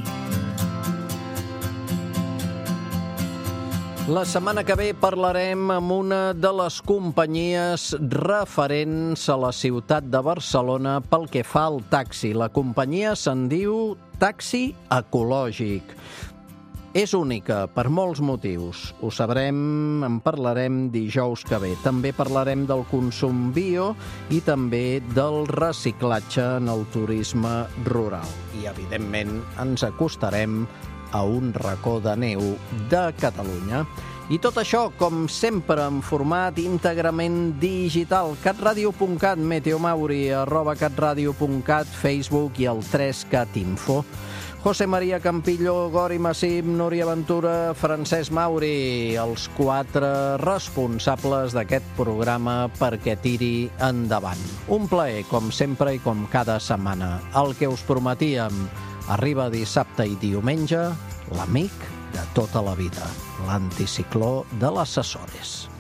La setmana que ve parlarem amb una de les companyies referents a la ciutat de Barcelona pel que fa al taxi. La companyia se'n diu Taxi Ecològic. És única per molts motius. Ho sabrem, en parlarem dijous que ve. També parlarem del consum bio i també del reciclatge en el turisme rural. I, evidentment, ens acostarem a un racó de neu de Catalunya. I tot això, com sempre, en format íntegrament digital. catradio.cat, meteomauri, @catradio.cat, Facebook i el 3catinfo. José María Campillo, Gori Massip, Núria Ventura, Francesc Mauri, els 4 responsables d'aquest programa perquè tiri endavant. Un plaer, com sempre i com cada setmana. El que us prometíem, Arriba dissabte i diumenge l'amic de tota la vida, l'anticicló de les Açores.